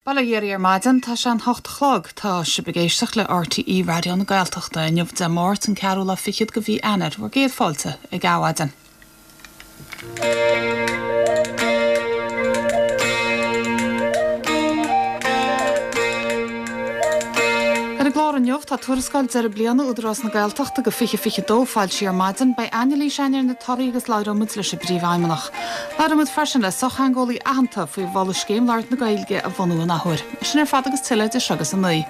Bail ó Dhia oraibh ar maidin, tá sé an hocht a chlog. Tá sibh ag éisteacht le RTÉ Raidió na Gaeltachta inniu Dé Máirt an ceathrú lá fichead de mhí Eanáir, bhur gcéad fáilte ag Adhmhaidin. Ar an gclár inniu tá tuarascáil deireadh bliana Údarás na Gaeltachta do 2022 foilsithe ar maidin. Beidh anailís againn ar na torthaí agus labhróidh muid leis an bPríomhfheidhmeannach. Labhróidh muid freisin le sochtheangeolaí aitheanta faoi mholadh scéim labhairt na Gaeilge a bhunú an athuair. Sin ar fad agus tuilleadh idir seo agus a 9.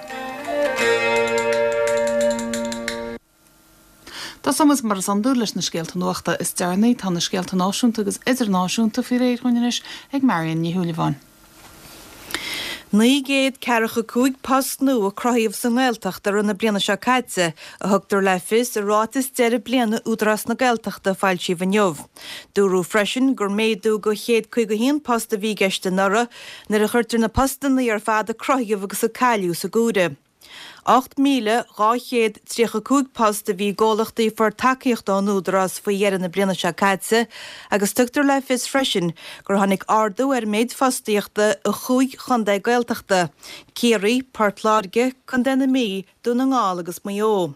Tosóidh muid mar is iondúil leis na scéalta nuachta is deireanaí. Tá na scéalta náisiúnta agus idirnáisiúnta faoi réir dhúinn anois ag Marion Ní Shúilleabháin. 945 post nua a cruthaíodh sa nGaeltacht i rith na bliana seo caite, a thugtar le fios i ráiteas deireadh bliana Údarás na Gaeltachta a foilsíodh inniu. Dúradh freisin gur méadú de 151 post a bhí i gceist anuraidh, nuair a chuirtear na postanna ar fad a cruthaíodh agus a cailleadh san áireamh. 8,235 post a bhí i gcomhlachtaí a fuair tacaíocht ón Údarás faoi dheireadh na bliana seo caite agus tugtar le fios freisin gur tháinig ardú ar an méid fostaíochta i chúig chontae Gaeltachta, Ciarraí, Port Láirge, Contae na Mí, Dún na nGall agus Maigh Eo.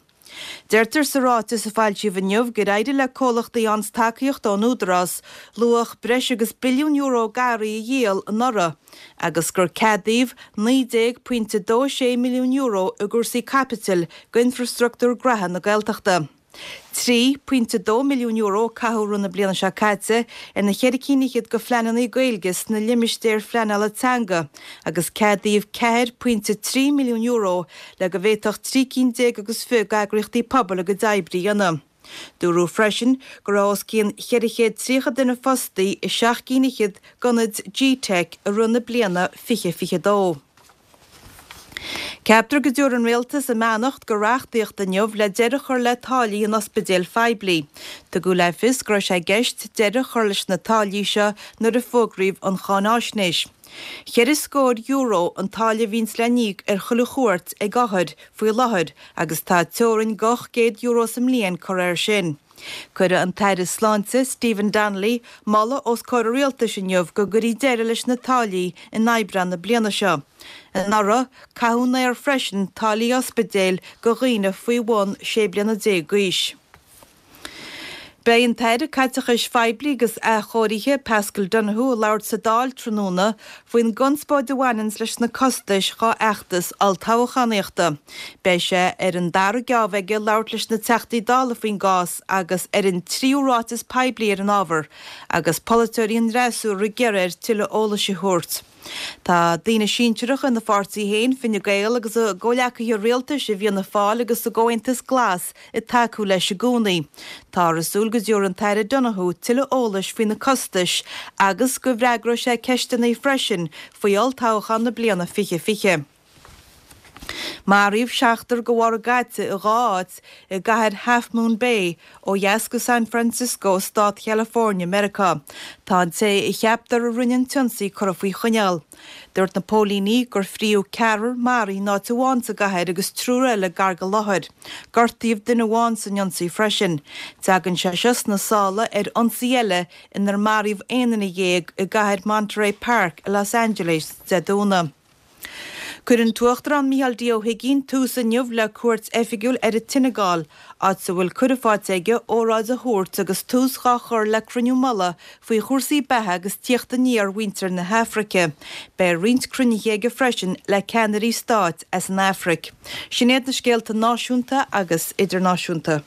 Deirtear sa ráiteas a foilsíodh inniu gur éirigh le comhlachtaí a fhaigheanns tacaíocht ón Údarás luach breis agus billiún euro d'earraí a dhíol anuraidh agus gur ceadaíodh €19.26 milliún i gcúrsaí caipitil d'infreastruchtúr graithe na Gaeltachta. €3.2 milliún a caitheadh i rith na bliana seo caite ar na cheithre cinn fhichead de phleananna Gaeilge sna limistéir phleanála teanga agus ceadaíodh €4.3 milliún le go bhféadfadh 13 cinn agus fiche d'eagraíochtaí pobail a gcuid oibre a dhéanamh. Dúradh freisin go raibh os cionn 430 duine fostaí i seacht gcinn fhichead d'ionaid GTeic i rith na bliana 2022. Ceaptar go dtabharfaidh an Rialtas a mbeannacht do reachtaíocht inniu le deireadh a chur le táillí in ospidéil phoiblí. Tugadh le fios go raibh sé i gceist deireadh a chur leis na táillí seo nuair a fógraíodh an cháináisnéis. Cheithre scór euro an táille a bhíonns le n-íoc ar chuile chuairt ag othair faoi láthair agus tá teorainn de €800 sa mbliain curtha air sin. Cuirfidh an tAire Sláinte, Stephen Donnelly, moladh os comhair an Rialtais inniu go gcuirfí deireadh leis na táillí in Aibreán na bliana seo. Anuraidh, caitheadh in aer freisin táillí ospidéil do dhaoine faoi bhun 16 bliana d'aois. Beidh an tAire Caiteachais Phoiblí agus Athchóirithe, Paschal Donohoe, ag labhairt sa Dáil tráthnóna faoin gconspóid a bhaineanns leis na costais dhá fheachtas olltoghchánaíochta. Beidh sé ar an dara geábh aige labhairt leis na Teachtaí Dála faoin gcás agus ar an tríú ráiteas poiblí ar an ábhar, agus polaiteoirí an fhreasúra ag iarraidh air tuilleadh eolais a thabhairt. Tá daoine sinsearacha ina pháirtí féin, Fine Gael, agus a gcomhleacaithe rialtais i bhFianna Fáil agus sa gComhaontas Glas ag tacú leis i gcónaí. Táthar ag súil go dtabharfaidh an tAire Donohoe tuilleadh eolais faoi na costais agus go bhfreagróidh sé ceisteanna freisin faoi olltoghchán na bliana 2020. Maraíodh seachtar de bharr an ghaite i dha áit i gcathair Half Moon Bay, ó dheas de San Francisco i stát Chalifornia, Meiriceá. Tá an té a cheaptar a rinne an t-ionsaí curtha faoi choinneáil. Dúirt na póilíní gur fríodh ceathrar maraithe in áit amháin sa gcathair agus triúr eile gar don láthair. Gortaíodh duine amháin san ionsaí freisin. Tagann sé seo sna sála ar ionsaí eile inar maraíodh 11 duine i gcathair Monterey Park i Los Angeles Dé Domhnaigh. Cuirfidh an tUachtarán Micheál D. Ó hUigínn tús inniu le cuairt oifigiúil ar an tSeineagáil, áit a bhfuil cuireadh faighte aige óráid a thabhairt agus tús dhá chur le cruinniú mullaigh faoi chúrsaí beatha agus tíocht aniar mhuintir na hAfraice. Beidh roinnt cruinnithe aige freisin le ceannairí stáit as an Afraic. Sin iad na scéalta náisiúnta agus idirnáisiúnta.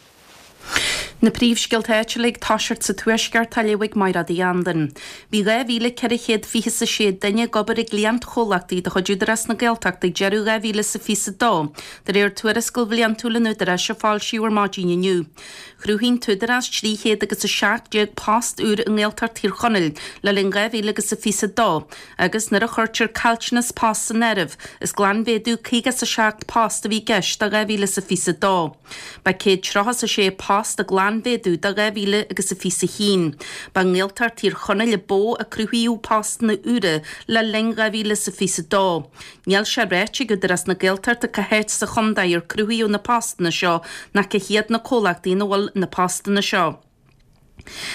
Na príomhscéalta áitiúla ag toiseacht sa Tuaisceart á léamh ag Mairéad Uí Andain. Bhí 2,426 duine ag obair i gcliantchomhlachtaí de chuid Údarás na Gaeltachta ag deireadh 2022, de réir tuarascáil bhliantúil an Údaráis a foilsíodh ar maidin inniu. Chruthaigh an tÚdarás 300 agus 17 post úr i nGaeltacht Thír Chonaill le linn 2022 agus nuair a chuirtear caillteanas post san áireamh, is glanmhéadú 57 post a bhí i gceist do 2022. Ba 136 post an glanmhéadú do 2021. Ba i nGaeltacht Thír Chonaill a ba mhó a cruthaíodh postanna úra le linn 2022. Níl sé ráite ag Údarás na Gaeltachta cá háit sa chontae ar cruthaíodh na postanna seo ná cé hiad na comhlachtaí ina bhfuil na postanna seo.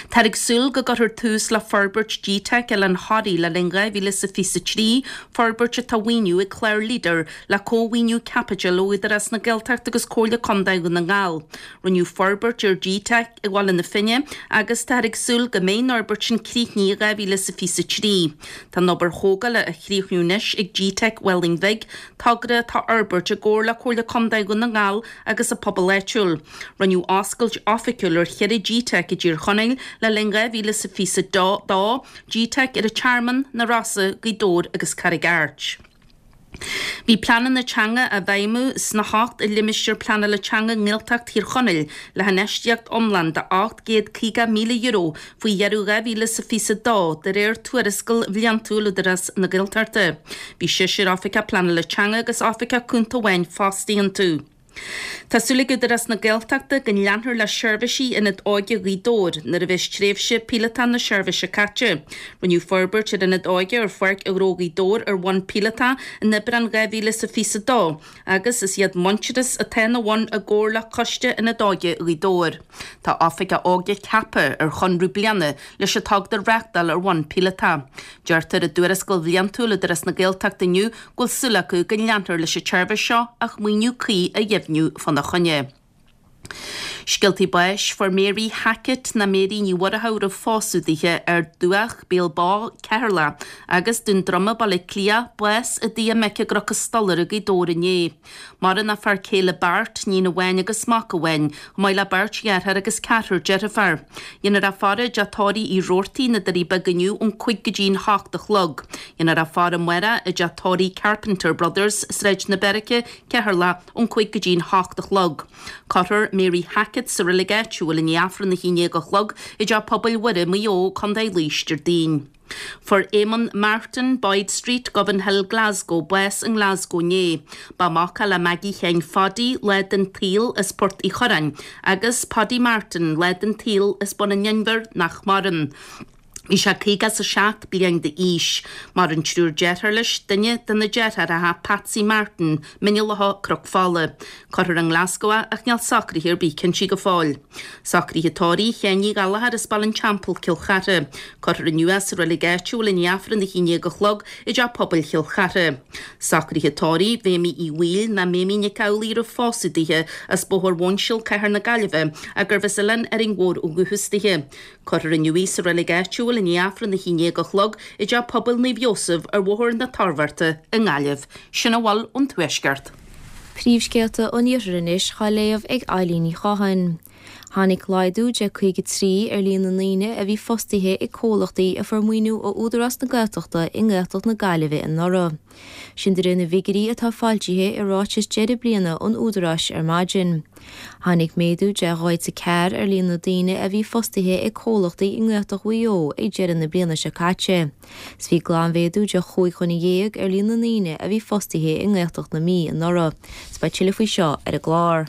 Táthar ag súil go gcuirfear tús le forbairt GTeic Oileán Thoraí le linn 2023, forbairt atá á mhaoiniú ag clár Leader le cómhaoiniú caipitil ó Údarás na Gaeltachta agus Comhairle Contae Dhún na nGall. Rinneadh forbairt ar GTeic i mBaile na Finne agus táthar ag súil go mbeidh an fhorbairt sin críochnaithe i 2023. Tá an obair thógála á chríochnú anois ag GTeic Mhálainn Bhig, togra atá á fhorbairt i gcomhar le Comhairle Contae Dhún na nGall agus an pobal áitiúil. Rinneadh oscailt oifigiúil ar cheithre GTeic i dTír Chonaill le linn 2022, GTeic ar an Tearmann, Na Rosa, Gaoth Dobhair agus Carraig Airt. Bhí pleananna teanga á bhfeidhmiú sna hocht limistéar pleanála teanga i nGaeltacht Thír Chonaill le hinfheistíocht iomlán de €850,000 faoi dheireadh 2022 de réir tuarascáil bhliantúil Údarás na Gaeltachta. Bhí seisear oifigeach pleanála teanga agus oifigeach cúnta amháin fostaithe iontu. Tá súil ag Údarás na Gaeltachta go leanfar le seirbhísí Ionad Óige Ghaoth Dobhair nuair a bheas tréimhse píolótach na seirbhíse caite. Rinneadh forbairt ar Ionad Óige ar Pháirc Ghnó Ghaoth Dobhair ar bhonn píolótach in Aibreán 2022 agus is iad Muintearas atá ina bhun i gcomhar le Coiste Ionad Óige Ghaoth Dobhair. Tá Oifigeach Óige ceaptha ar chonradh bliana leis an togra a reáchtáil ar bhonn píolótach. Deirtear i dtuarascáil bhliantúil Údarás na Gaeltachta inniu go bhfuil súil acu go leanfar leis an tseirbhís seo ach maoiniú cuí a dheimhniú fána choinne. Scéaltaí báis, Fuair Mary Hackett ná Mary Ní Mhuireadhaigh roimh phósadh dithe Ard Dumhach, Béal Bó, Ceatharlach, agus Dún Droma, Baile Átha Cliath, bás i dtigh a mic i gCnoc an Stolaire i Gaoth Dobhair inné. Maireann a fear céile Bart, níon amháin agus mac amháin, chomh maith le beirt dheartháir agus ceathrar deirfiúr. Déanfar í a faire i dteach tórraimh Uí Robhartaigh, na Doirí Beaga inniu ón 5 go dtí'n 8 a chlog. Déanfar í a faire amárach i dteach tórraimh Carpenter Brothers, Sráid na Beairice, Ceatharlach, ón 5 go dtí'n 8 a chlog. Cuirfear Mary Hackett sa reilig áitiúil i ndiaidh Aifreann a 11 a chlog i dTeach Pobail Mhuire, Maigh Eo, Co. Laois, Déardaoin. Fuair Eamon Martin, Boyd Street, Govanhill, Glasgow, bás i nGlasgow inné. Ba mhac é le Maggie Sheáin Phaidí, lá den tsaol, as Port Uí Churráin, agus Paddy Martin, lá den tsaol, as Bun an Inbhir, nach maireann. Bhí sé 57 bliain d'aois. Maireann triúr dearthár leis, duine de na deartháireacha, Patsy Martin, Mín an Locha, Cnoc Fola. Cuirfear i nGlasgow é ach níl socruithe ar bith cinnte go fóill. Socruithe tórraimh Sheáin Uí Ghallchóir as Baile an Teampaill, Cill Chartha. Cuirfear inniu é sa reilig áitiúil i ndiaidh Aifreann 11 a chlog i dTeach Pobail Chill Chartha. Socruithe tórraimh Mhéimí Uí Bhaoill ná Méimí Nic Amhlaoibh roimh phósadh dithe as Bóthar Mhuinseal, Cathair na Gaillimhe, ach gurbh as Oileán Árainn Mhór ó dhúchas dithe. Cuirfear inniu í sa reilig áitiúil i ndiaidh Aifreann 11 a chlog i dTeach Pobail Naomh Iósaf ar Bhóthar na Toirbhearta i nGaillimh. Sin a bhfuil ón Tuaisceart. Príomhscéalta an Iarthair anois á léamh ag Eilín Ní Chatháin. Tháinig laghdú de 53 ar líon na ndaoine a bhí fostaithe ag comhlachtaí a fuair maoiniú ó Údarás na Gaeltachta i nGaeltacht na Gaillimhe anuraidh. Sin de réir na bhfigiúirí atá foilsithe i ráiteas deireadh bliana an Údaráis ar maidin. Tháinig méadú de 44 ar líon na ndaoine a bhí fostaithe ag comhlachtaí i nGaeltacht Mhaigh Eo ag deireadh na bliana seo caite. 'S bhí glanmhéadú de chúig dhuine dhéag ar líon na ndaoine a bhí fostaithe i nGaeltacht na Mí anuraidh. 'S beidh tuilleadh faoi seo ar an gclár.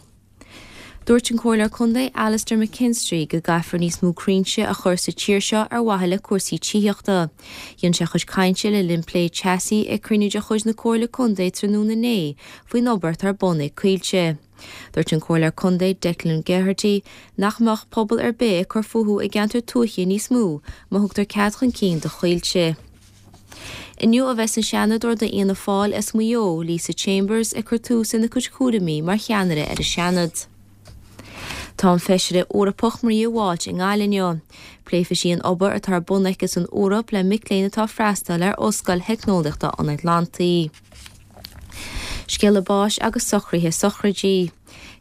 Dúirt an Comhairleoir Contae Alastair McKinstry go gcaithfear níos mó crínte a chur sa tír seo ar mhaithe le cúrsaí tithíochta. Dhein sé a chuid cainte le linn plé teasaí ag cruinniú de chuid na Comhairle Contae tráthnóna inné faoin obair atá ar bun ag Coillte. Dúirt an Comhairleoir Contae Declan Geraghty nach mbeadh pobal ar bith ag cur fúthu i gceantar tuaithe níos mó má thugtar cead chun cinn do Choillte. Inniu a bheas an Seanadóir d'Fhianna Fáil as Maigh Eo, Lisa Chambers, ag cur tús lena cuid cúraimí mar cheannaire ar an Seanad. Tá an Feisire Eorpach Maria Walsh i nGaillimh inniu. Pléifidh sí an obair atá ar bun aici san Eoraip le mic léinn atá ag freastal ar Ollscoil Theicneolaíochta an Atlantaigh. Scéala báis agus socruithe sochraidí.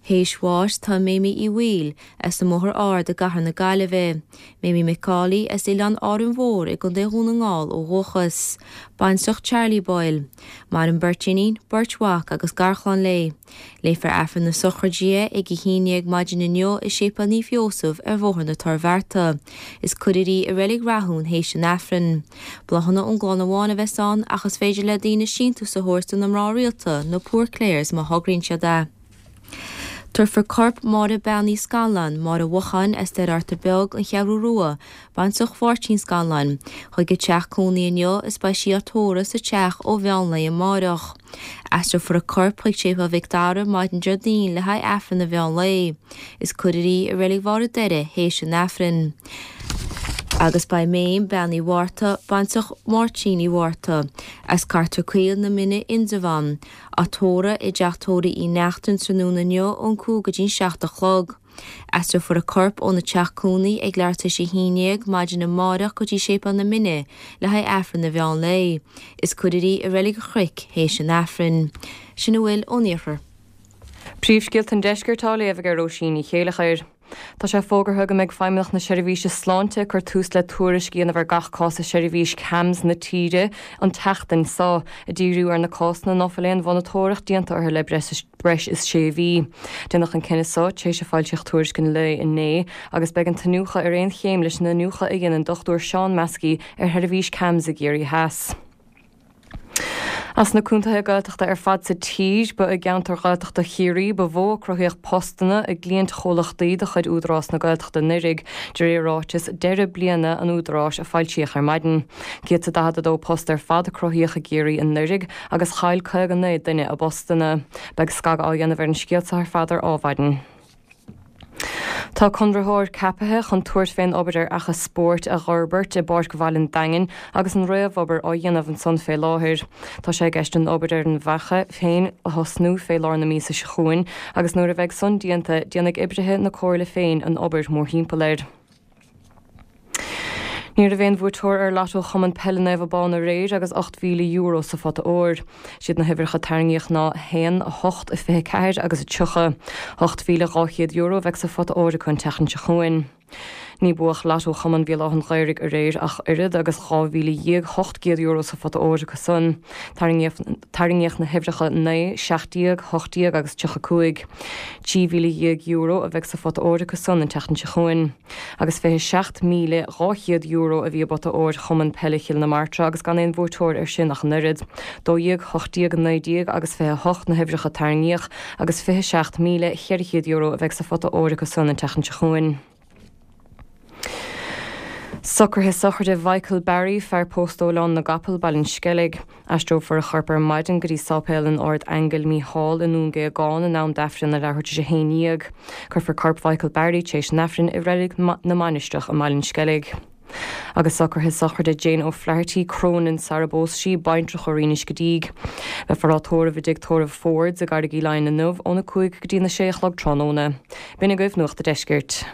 Théis bháis tá Méimí Uí Bhaoill, as an mBóthar Ard i gCathair na Gaillimhe. Méimí McAuley, as Oileán Árainn Mhór i gContae Dhún na nGall ó dhúchas. Baintreach Charlie Boyle. Maireann beirt iníon, beirt mhac agus garchlann léi. Léifear Aifreann na sochraide di ag a 11 maidin inniu i Séipéal Naomh Iósaf ar Bhóthar na Toirbhearta. Is cuirfear í i Reilig Rathún théis an Aifrinn. Bláthanna ón gclann amháin a bheas ann ach is féidir le daoine síntiús a thabhairt do na mná rialta, na Poor Clares má thograíonn siad é. Tabharfar corp Máire Bean Uí Scanláin, Máire Mhocháin as Doire Fhearta Beag, An Cheathrú Rua, baintreach Mháirtín Scanláin, chuig a teach cónaí inniu is beidh sí á tórramh sa teach ó mheán lae amáireach. Aistreofar a corp chuig Séipéal Mhic Dara maidin Déardaoin le haghaidh Aifreann an mheán lae. Is cuirfear í i Reilig Bharr an Doire théis an Aifrinn. Agus beidh Méim, Bean Uí Mhárta, baintreach Mháirtín Uí Mhárta, as Cartar Caol na Mine, Indreabhán, á tórramh i dteach tórraimh Uí Neachtain tráthnóna inniu ón 5 go dtí'n 7 a chlog. Aistreofar a corp óna teach cónaí ag leathuair tar éis a 11 maidin amáireach go dtí Séipéal na Mine le haghaidh Aifreann an mheán lae. Is cuirfear í i Reilig an Chnoic théis an Aifrinn. Sin a bhfuil ón Iarthar. Príomhscéalta an Deiscirt á léamh ag Róisín Ní Chéileachair. Tá sé fógartha go mbeidh Feidhmeannacht na Seirbhíse Sláinte ag cur tús le tuairisc a dhéanamh ar gach cás i seirbhís CAMHS na tíre an tseachtain seo, ag díriú ar na cásanna ná fuil aon mhonatóireacht déanta orthu le breis is sé mhí. Déanadh an cinneadh seo tar éis a foilsíodh tuairisc an lae inné agus beidh an t-iniúchadh ar aon chéim leis an iniúchadh a dhein an Dr Seán Maskey ar sheirbhís CAMHS i gCiarraí Theas. As na contaetha Gaeltachta ar fad sa tír, ba i gceantar Ghaeltachta Chiarraí ba mhó a cruthaíodh postanna i gcliantchomhlachtaí de chuid Údarás na Gaeltachta anuraidh, de réir ráiteas deireadh bliana an Údaráis a foilsíodh ar maidin. 142 post ar fad a cruthaíodh i gCiarraí anuraidh agus chaill 59 duine a bpostanna. Beidh scagadh á dhéanamh ar an scéal seo ar fad ar Adhmhaidin. Tá conraitheoir ceapaithe chun tabhairt fén obair ar fhaiche spóirt a dh'fhorbairt i bPáirc Bhaile an Daingin agus an réamhobair á dhéanamh ansan fé láthair. Tá sé i gceist an obair ar an bhfaiche féin a thosnú fé lár na míosa seo chugainn agus nuair a bheidh san déanta déanfaidh oibrithe na Comhairle féin an obair mórthimpeall air. Ní raibh aon bhuaiteoir ar Lotto Chumann Peile Naomh Abán aréir agus €8,000 sa phota óir. Siad na huimhreacha a tarraingíodh ná 1, 8, 24 agus 30. €8,200 a bheidh sa phota óir acu an tseachtain seo chugainn. Ní buadh Lotto Chumann Bhéal Átha an Ghaorthaidh aréir ach oiread agus €12,800 sa phota óir acu san. Tarraingíodh na huimhreacha 9, 17, 18 agus 35. €13,000 a bheidh sa phota óir acu san an tseachtain seo chugainn. Agus €27,200 a bhí i bpota óir Chumann Peile Chill na Martra agus gan aon bhuaiteoir air sin ach an oiread. 12, 18, 19 agus 28 na huimhreacha a tarraingíodh agus €27,400 a bheidh sa phota óir acu san an tseachtain seo chugainn. Socruithe sochraide Mhichael Barry, fear pósta ó Oileán na gCapall, Baile an Sceilg. Aistreofar a chorp ar maidin go dtí Sáipéal an Ard-Aingil Mícheál i nDún Géagáin in am d'Aifreann ar leathuair tar éis a 11. Cuirfear corp Mhichael Barry tar éis an Aifrinn i Reilig na Mainistreach i mBaile an Sceilg. Agus socruithe sochraide Jane O'Flaherty, Cronin sara bpós sí, baintreach ó Rinn Uisce Díg. Beifear á tórramh i dTigh Tórraimh Fords i gCarraig Uí Leighin inniu óna 5 go dtí na 6 a chlog tráthnóna. B'in agaibh Nuacht a' Deiscirt.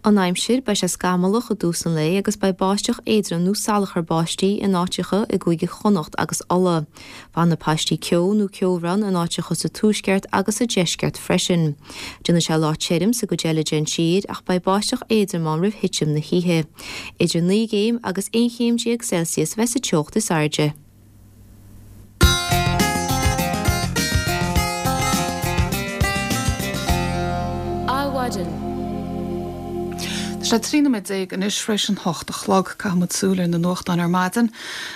An aimsir, Beidh sé scamallach i dtús an lae agus beidh báisteach éadrom nó salachar báistí in áiteacha i gCúige Chonnacht agus Uladh. Fanfaidh paistí ceo nó ceobhrán in áiteacha sa tuaisceart agus sa deisceart freisin. Déanfaidh sé lá tirim sa gcuid eile den tír ach beidh báisteach éadrom ann roimh thitim na hoíche. Idir 9 gcéim agus 11 chéim Celsius a bheidh sa teocht is airde. Adhmhaidin. Tá sé 13 nóiméad anois tar éis an hocht a chlog. Caithfidh muid súil ar na nuachtáin ar maidin.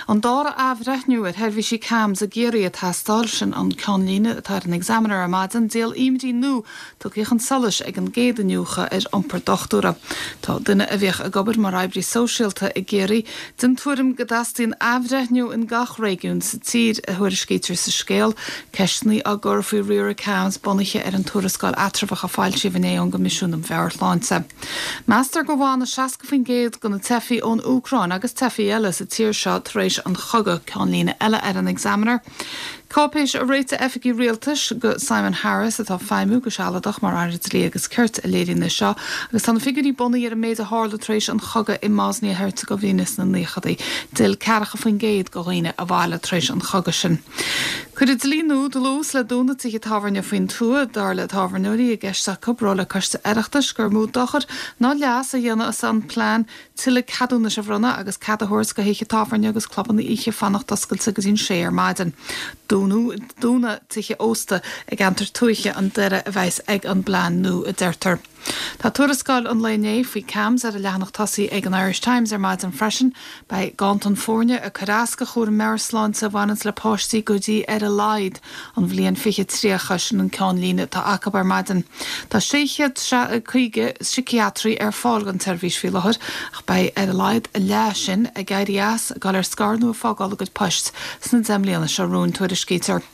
An dara athbhreithniú ar sheirbhísí CAMHS i gCiarraí ag teastáil, sin an ceannlíne atá ar an Examiner ar maidin. Díol imní nua tugtha chun solais ag an gcéad iniúchadh ar iompar dochtúra. Tá duine a bhíodh ag obair mar oibrí sóisialta i gCiarraí den tuairim go dteastaíonn athbhreithniú in gach réigiún sa tír, a thuairiscítear sa scéal. Ceisteanna á gcur faoi riaradh CAMHS bunaithe ar an tuarascáil eatramhach a foilsíodh inné ón gCoimisiún um Mheabhair-Shláinte. Meastar go bhfanfaidh 60% de na teifigh ón Úcráin agus teifigh eile sa tír seo tar éis an chogaidh, ceannlíne eile ar an Examiner. Cáipéis a réitigh oifigigh rialtais do Simon Harris, atá ag feidhmiú go sealadach mar Aire Dlí agus Cirt, a léiríonn é seo, agus tá na figiúirí bunaithe ar an méid a tharla tar éis an chogaidh i mBosnia-Herzegovina sna naochadaí. D'fhill 40% de dhaoine abhaile tar éis an chogaidh sin. Cuirfidh dlí nua dlús le dúnadh tithe tábhairne faoin tuath, dar le tábhairneoirí, i gceist acu a raibh le Coiste Oireachtais gur mó dochar ná leas a dhéanfas an plean tuilleadh ceadúnais a bhronnadh agus cead a thabhairt do thithe tábhairne agus clubanna oíche fanacht oscailte go dtí'n sé ar maidin. Dúnadh tithe ósta i gceantair tuaithe an deireadh a bheas ag an bplean nua, a deirtear. Tá tuarascáil an lae inné faoi CAMHS ar an leathanach tosaigh ag an Irish Times ar maidin freisin. Beidh ganntan foirne ag cur as do chúram meabhairshláinte a bhaineanns le páistí go dtí ar a laghad an bhliain 2030, sin an ceannlíne atá acu ar maidin. Tá 650 síciatraí ar fáil don tseirbhís faoi láthair ach beidh ar a laghad a leath sin ag éirí as, ag dul ar scor nó ag fágáil a gcuid poist sna 10 mbliana seo romhainn, tuairiscítear.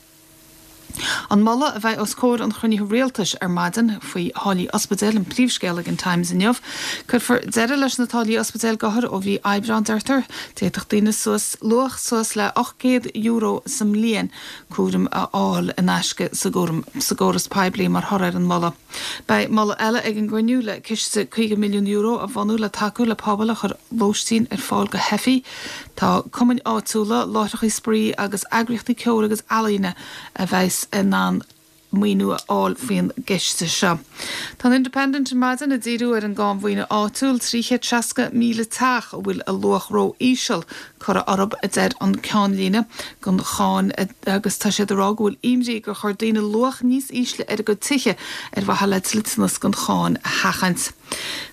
An moladh a bheidh os comhair an chruinnithe rialtais ar maidin faoi tháillí ospidéil an príomhscéal ag an Times inniu. Cuirfear deireadh leis na táillí ospidéil d'othair ó mhí Aibreáin, deirtear. D'fhéadfadh daoine suas luach suas le €800 sa mbliain cúram a fháil in aisce sa gcóras poiblí mar thoradh ar an moladh. Beidh moladh eile ag an gcruinniú le ciste €50 milliún a bhunú le tacú le pobail a chuir lóistín ar fáil go theifigh. Tá cumainn áitiúla, láithreacha spraoi agus eagraíochtaí ceoil agus ealaíne a bheas in ann maoiniú a fháil faoin gciste seo. Tá an Independent ar maidin ag díriú ar an gcáin mhaoine áitiúil, 360,000 teach a bhfuil a luach ró-íseal curtha orthu, a deir an ceannlíne, don cháin agus tá siad ag rá go bhfuil imní gur chuir daoine luach níos ísle ar a gcuid tithe ar mhaithe le dliteanas don cháin a sheachaint.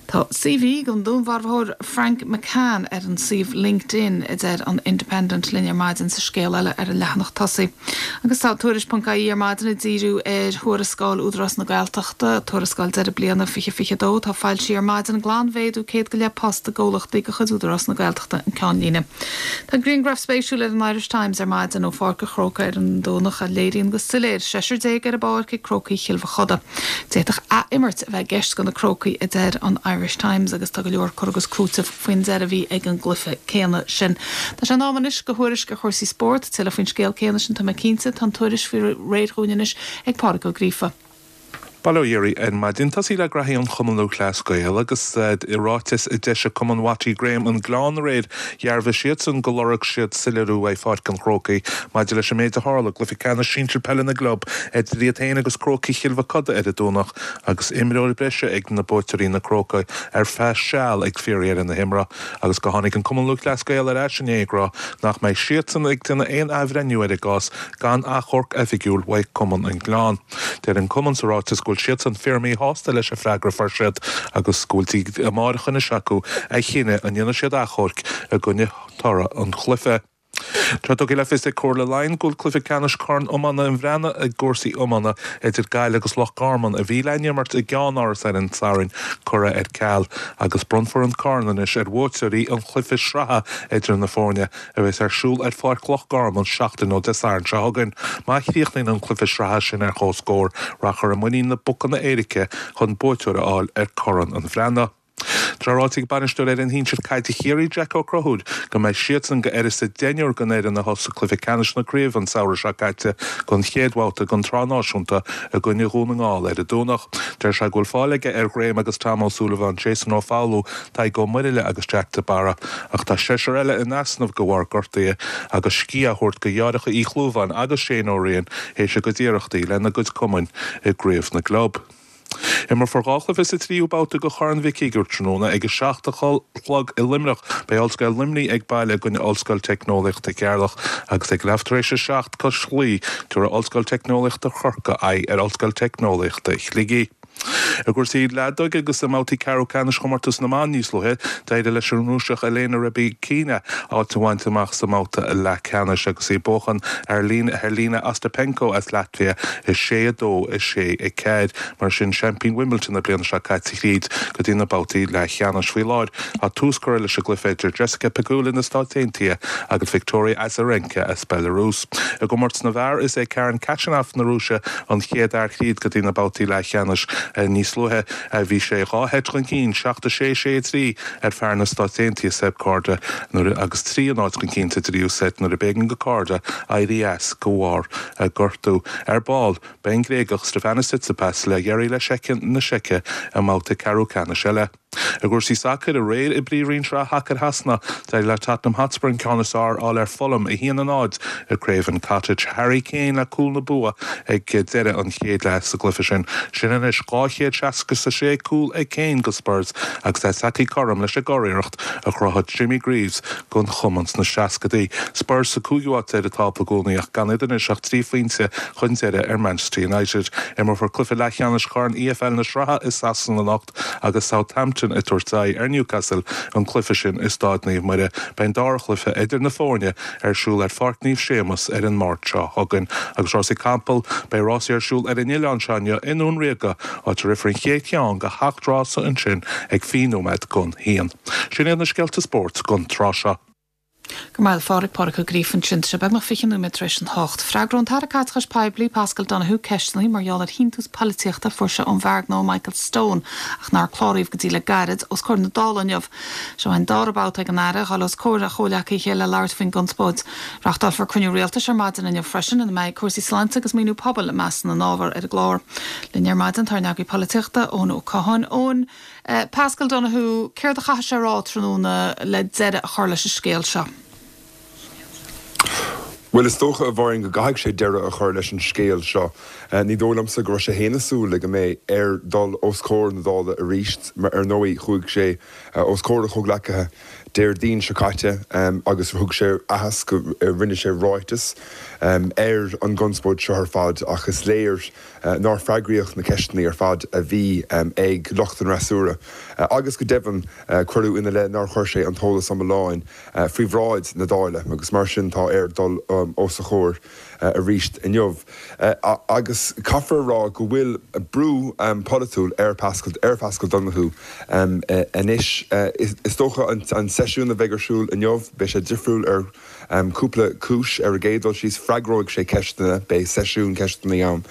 Tá CV don dúnmharfóir Frank McCann ar an suíomh LinkedIn, a deir an Independent linn ar maidin sa scéal eile ar an leathanach tosaigh. Agus tá Tuairisc ponc ie ar maidin ag díriú ar thuarascáil Údarás na Gaeltachta, tuarascáil deireadh bliana 2022 atá foilsithe ar maidin, glanmhéadú 100 go leith post i gcomhlachtaí de chuid Údarás na Gaeltachta an ceannlíne. Tá grianghraf spéisiúil ar an Irish Times ar maidin ó Pháirc an Chrócaigh ar an Domhnach a léiríonn go soiléir seisear déag ar an bpáirc ag Crócaigh Chill Mochuda. D'fhéadfadh ath-imirt a bheith i gceist do na Crócaigh a deir an Irish Times agus tá go leor cur agus cúiteamh faoin deireadh a bhí ag an gcluiche céanna sin. Tá sé in am anois do thuairisc ar chúrsaí spóirt, tuilleadh faoin scéal céanna sin tá mé cinnte. Tá an tuairisc faoi réir dhúinn anois ag Pádraig Ó Gríofa. Bail ó Dhia oraibh ar maidin. Tosaí le graithí an Chumann Lúthchleas Gael agus i ráiteas a d'eisigh Cumann Watty Graham an Gleann aréir dhearbhaigh siadsan gur lorg siad soiléiriú uaidh Pháirc an Chrócaigh maidir leis an méid a tharla i gcluiche ceannais sinsir peile na gclub idir iad féin agus Crócaigh Chill Mochuda ar an Domhnach agus imreoir breise ag na buaiteoirí na Crócaigh ar feadh seal ag fíordheireadh na himeartha agus go tháinig an Cumann Lúthchleas Gael ar ais inné ag rá nach mbeidh siadsan ag déanamh aon athbhreithniú ar an gcás gan achomharc oifigiúil uaidh Cumann an Ghleann. Deir an Cumann sa ráiteas go bhfuil siadsan fíor-mhíshásta leis an freagra a fuair siad agus go bhfuil dtí amáireach anois acu a chinneadh an ndéanfaidh siad achomhairc i gcoinne toradh an chluiche. Tá tugtha le fios ag Comhairle Laighean go bhfuil cluiche ceannais Chorn Iomána an Bhreathnaigh i gcúrsaí iomána idir Gaillimh agus Loch Garman, a bhí le n-imirt i gceannáras ar an Satharn, curtha ar ceal agus bronnfar an corn anois ar bhuaiteoirí an chluiche sraithe idir na foirne a bheas ar siúl ar Pháirc Loch Garman seachtain ó Dé Sathairn seo chugainn. Má chríochnaíonn an cluiche sraithe sin ar comhscór, rachfar i muinín na bpocanna éirice chun buaiteoir a fháil ar Chorn an Bhreathnaigh. Tá ráite ag bainisteoir fhoireann shinsir caide Chiarraí, Jack Ó Conchúir, go mbeidh siadsan go uireasa deichniúr den fhoireann a thosaigh cluiche ceannais na craoibhe an samhradh seo caite don chéad bhabhta den tsraith náisiúnta i gcoinne Dhún na nGall ar an Domhnach. Deir sé go bhfuil fáil aige ar Graham agus Tom Ó Súilleabháin, Jason Ó Foghlú, Tadhg Ó Muirthile agus Jack de Barra ach tá seisear eile in easnamh de bharr gortuithe agus scíth á thabhairt do dheartháireacha Uí Chlúmháin agus Shane Ó Riain théis a gcuid iarrachtaí lena gcuid cumainn i gcraobh na gclub. Imreofar 2 chluiche sa tríú babhta de Chorn Mhic Uidhir tráthnóna ag 7 a chlog i Luimneach. Beidh Ollscoil Luimnigh ag baile i gcoinne Ollscoil Teicneolaíochta Cheatharlach agus ag leath tar éis a 7 cois Laoi tabharfaidh Ollscoil Teicneolaíochta Chorcaí aghaidh ar Ollscoil Teicneolaíochta Shligigh. I gcúrsaí leadóige agus i mbabhtaí ceathrú ceannais chomórtas na mban níos luaithe, d'éirigh leis an Rúiseach Elena Rybakina áit a bhaint amach sa mbabhta leathcheannais agus í ag buachan ar Jelena Ostapenko as Latvia 6, 2, 6, 4. Mar sin, seaimpín Wimbledon na bliana seo caite thríd go dtí na babhtaí leathcheannais. Faoi láthair, tá tús curtha leis an gcluiche idir Jessica Pegula na Stáit Aontaithe agus Victoria Azarenka as Belarus. I gcomórtas na bhfear, is é Karen Khachanov na Rúise an chéad fhear thríd go dtí na babhtaí leathcheannais. Níos luaithe, bhí sé dhá sheit chun cinn, 7, 6, 6, 3, ar fear na Stáit Aontaithe, Seb Korda, nuair agus 3, 0 chun cinn sa dtríú seit nuair a b'éigean do Korda éirí as de bharr gortú. Ar ball, beidh an Gréagach Stefanos Tsitsipas le iarraidh le Seice na Seice i mbabhta ceathrú ceannais eile. I gcúrsaí sacair, aréir i bPríomhroinn Sraith Shacair Shasana, d'éirigh le Tottenham Hotspur an ceann is fearr a fháil ar Fulham, 1-0, i Craven Cottage. Harry Kane le cúl na bua ag deireadh an chéad leath sa gcluiche sin. Sin anois 266 cúl ag Kane do Spurs agus é tagtha cothrom leis an gcuriarracht a chruthaigh Jimmy Greaves don chumann sna seascadaí. Spurs sa cúigiú háit ar an tábla i gcónaí ach gan iad anois ach 3 phointe chun deiridh ar Manchester United. Imreofar cluiche leathcheannais Chorn EFL na Sraithe i Sasana anocht agus Southampton ag tabhairt aghaidh ar Newcastle, an cluiche sin i Stáid Naomh Muire. Beidh an dara chluiche idir na foirne ar siúl ar Pháirc Naomh Séamus ar an Máirt seo chugainn. Agus rásaí capall, beidh rásaí ar siúl ar an oileán seo inniu i nDún Ríoga, áit a rithfear an chéad cheann de sheacht rása ansin ag 20 nóiméad don haon. Sin iad na scéalta spóirt don tráth seo. Go raibh maith agat a Phádraig, Pádraig Ó Gríofa ansin. Tá sé beagnach 20 nóiméad tar éis an hocht. Freagróidh an tAire Caiteachais Poiblí, Paschal Donohoe, ceisteanna mar gheall ar shíntiús polaitíochta a fuair sé ón bhfear gnó Michael Stone, ach nár cláraíodh go dtí le gairid, os comhair na Dála inniu. Seo é an dara babhta ag an Aire a dhul os comhair a chomhleacaithe le labhairt faoin gconspóid. Reáchtálfar cruinniú rialtais ar maidin inniu freisin ina mbeidh cúrsaí sláinte agus maoiniú pobail i measc na n-ábhar ar an gclár. Linn ar maidin tá ár n-eagraí polaitíochta, Eoin Ó Catháin. Eoin, Paschal Donohoe, céard a chaithfidh sé a rá tráthnóna le deireadh a chur leis an scéal seo? Bhuel, is dócha, a Mháirín, go gcaithfidh sé deireadh a chur leis an scéal seo. Ní dóigh liomsa go raibh sé féin ag súil le go mbeidh air dul os comhair na Dála arís. Ar ndóigh, chuaigh sé os comhair a chomhghleacaithe Déardaoin seo caite agus thug sé aitheasc, rinne sé ráiteas ar an gconspóid seo ar fad ach is léir nár freagraíodh na ceisteanna ar fad a bhí ag lucht an fhreasúra agus go deimhin cuireadh ina leith nár chuir sé an t-eolas iomlán faoi bhráid na Dála agus mar sin tá air dul os a chomhair arís inniu. Agus caithfear a rá go bhfuil brú polaitiúil ar Paschal ar Phaschal Donohoe anois. Is dócha an seisiún a bheidh ar siúl inniu, beidh sé difriúil ar Cúpla cúis. Ar an gcéad dul síos, freagróidh sé ceisteanna, beidh seisiún ceisteanna ann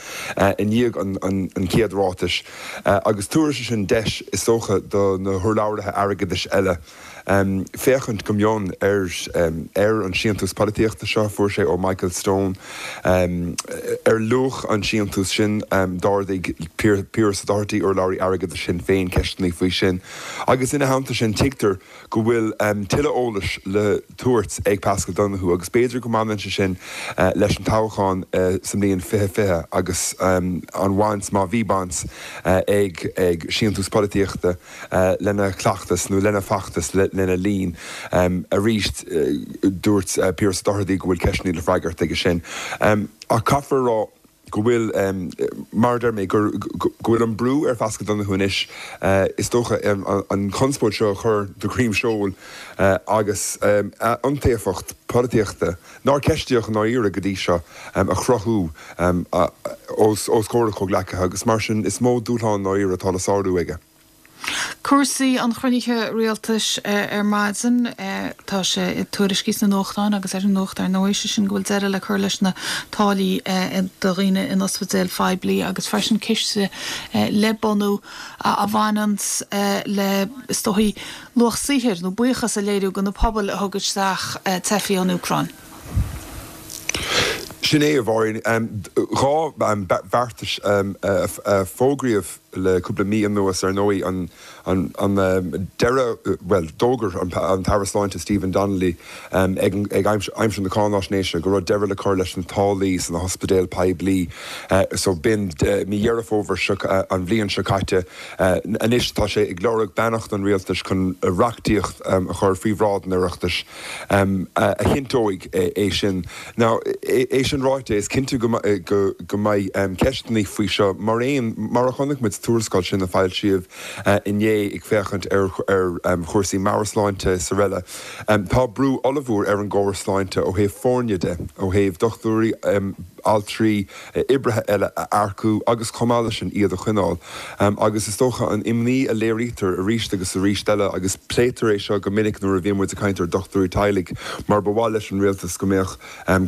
i ndiaidh an chéad ráitis, agus tabharfaidh sé sin deis, is dócha, do na hurlabhraithe airgeadais eile féachaint go mion ar ar an síntiús polaitíochta seo a fuair sé ó Michael Stone. Ar luach an tsíntiúis sin, d'ardaigh Pearse Doherty, urlabhraí airgeadais Shinn Féin, ceisteanna faoi sin, agus ina theannta sin, tuigtear go bhfuil tuilleadh eolais le tabhairt ag Paschal Donohoe agus b'fhéidir go mbaineann sé sin leis an toghchán sa mbliain 2020 agus an bhaint, má bhí baint, ag síntiús polaitíochta lena chleachtas nó lena feachtas lena linn. Arís, dúirt Pearse Doherty go bhfuil ceisteanna le freagairt aige sin. Ach caithfear a rá, go bhfuil, mar a deir mé, go bhfuil an brú ar Phaschal Donohoe anois, is dócha, an chonspóid seo a chur de dhroim seoil agus a iontaofacht polaitíochta, nár ceistíodh i ndáiríre go dtí seo, a chruthú os comhair a chomhghleacaithe agus mar sin is mó dúshlán i ndáiríre atá le sárú aige. Cúrsaí an chruinnithe rialtais ar maidin, tá sé tuairiscithe sna nuachtáin agus ar an nuacht ar ndóigh, sé sin go bhfuil deireadh le cur leis na táillí do dhaoine in ospidéil phoiblí agus freisin ciste le bunú a bhaineanns le, is dóichí, luach saothair nó buíochas a léiriú do na pobail a thug isteach teifigh ón Úcráin. Sin é, a Mháirín. 2 bheartas a fógraíodh le cúpla mí anuas, ar ndóigh, an deireadh, bhuel, d'fhógair an tAire Sláinte Stephen Donnelly ag aimsir na cáináisnéise go raibh deireadh le cur leis na táillí sna hospidéil poiblí so b'in mí Dheireadh Fómhair seo an bhliain seo caite. Anois tá sé ag lorg beannacht an rialtais chun reachtaíocht a chur faoi bhráid an Oireachtais a chinnteoidh é sin. Now, é sin ráite, is cinnte go mbeidh ceisteanna faoi seo mar aon, mar a chonaic muid sa tuarascáil sin a foilsíodh inné ag féachaint ar chúrsaí meabhairshláinte is araile. Tá brú ollmhór ar an gcóras sláinte ó thaobh foirne de, ó thaobh dochtúirí, altraí, oibrithe eile a earcú agus chomh maith leis sin iad a choinneáil. Agus is dócha an imní a léirítear arís agus arís eile, agus pléitear é seo go minic nuair a bhíonn muid ag caint ar dhochtúirí teaghlaigh, mar ba mhaith leis an rialtas go mbeadh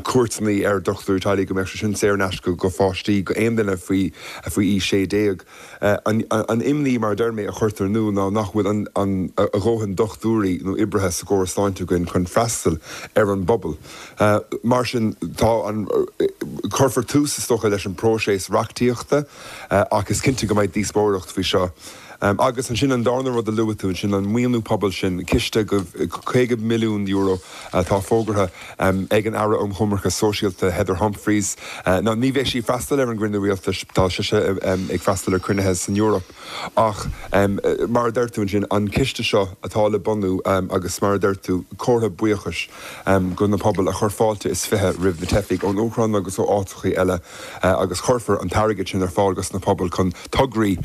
cuairteanna ar dhochtúirí teaghlaigh, go mbeadh sé sin saor in aisce go pháistí, go aon duine faoi faoi aois 16. An imní, mar a deir mé, a chuirtear in iúl ná nach bhfuil an a dhóthain dochtúirí nó oibrithe sa gcóras sláinte againn chun freastal ar an bpobal. Mar sin, tá an, cuirfear tús, is dócha, leis an bpróiseas reachtaíochta ach is cinnte go mbeidh díospóireacht faoi seo. Agus ansin an darna rud a luaigh tú ansin, an maoiniú pobail sin, ciste de €50 milliún atá fógartha ag an Aire um Choimirce Sóisialta Heather Humphreys. Now ní bheidh sí ag freastal ar an gcruinniú rialtais, tá sise ag freastal ar chruinnithe san Eoraip ach mar a deir tú ansin, an ciste seo atá le bunú agus mar a deir tú, comhartha buíochais do na pobail a chuir fáilte is 20 roimh na teifigh ón Úcráin agus ó áiteachaí eile agus cuirfear an t-airgead sin ar fáil dos na pobail chun tograí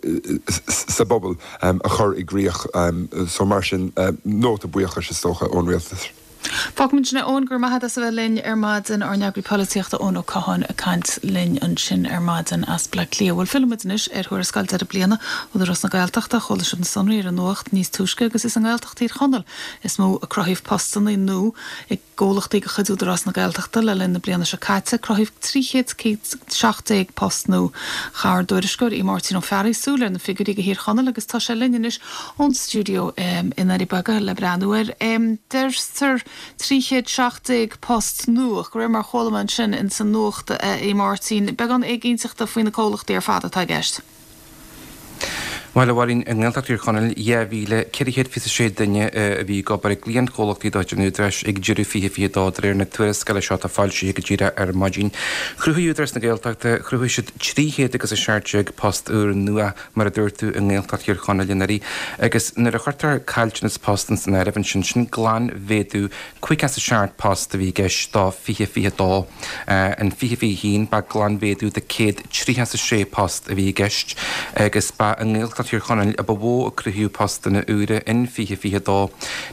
sa bpobal a chur i gcrích. So mar sin, nóta buíochais is dócha ón rialtas. Fágfaimid ansin é Eoin, go raibh maith agat as a bheith linn ar maidin, ár n-eagraí polaitíochta Eoin Ó Catháin ag caint linn ansin ar maidin as Bleá Cliath. Bhuel fillfidh muid anois ar thuarascáil deireadh bliana Údarás na Gaeltachta. Chuala sibh na sonraí ar an nuacht níos túisce agus is i nGaeltacht Thír Chonaill is mó a cruthaíodh postanna nua i gcomhlachtaí de chuid Údarás na Gaeltachta le linn na bliana seo caite. Cruthaíodh 317 post nua. Chaith ár dtuairisceoir Aodh Máirtín Ó Fearraigh súil ar na figiúirí do Thír Chonaill agus tá sé linn anois ón stiúideo i nDoirí Beaga le breathnú air. Deirtear 317 post nua, ach de réir mar a chuala mé ansin ins an nuacht, a Aodh Máirtín, beagán éiginnteachta faoi na comhlachtaí ar fad atá i gceist. Bhuel, a Mháirín, i nGaeltacht Thír Chonaill, 2,426 duine a bhí ag obair i gcliantchomhlachtaí de chuid an Údaráis ag deireadh 2022, de réir na tuarascála seo atá foilsithe go díreach ar maidin. Chruthaigh Údarás na Gaeltachta, chruthaigh siad 300 agus 17 post úr nua mar a dúirt tú, i nGaeltacht Thír Chonaill anuraidh. Agus nuair a chuirtear caillteanas post ins an áireamh ansin, sin glanmhéadú 57 post a bhí i gceist do 2022. In 2021 ba glanmhéadú de 136 post a bhí i gceist agus ba i nGaeltacht Thír Chonaill a ba mhó a cruthaíodh postanna úra in 2022.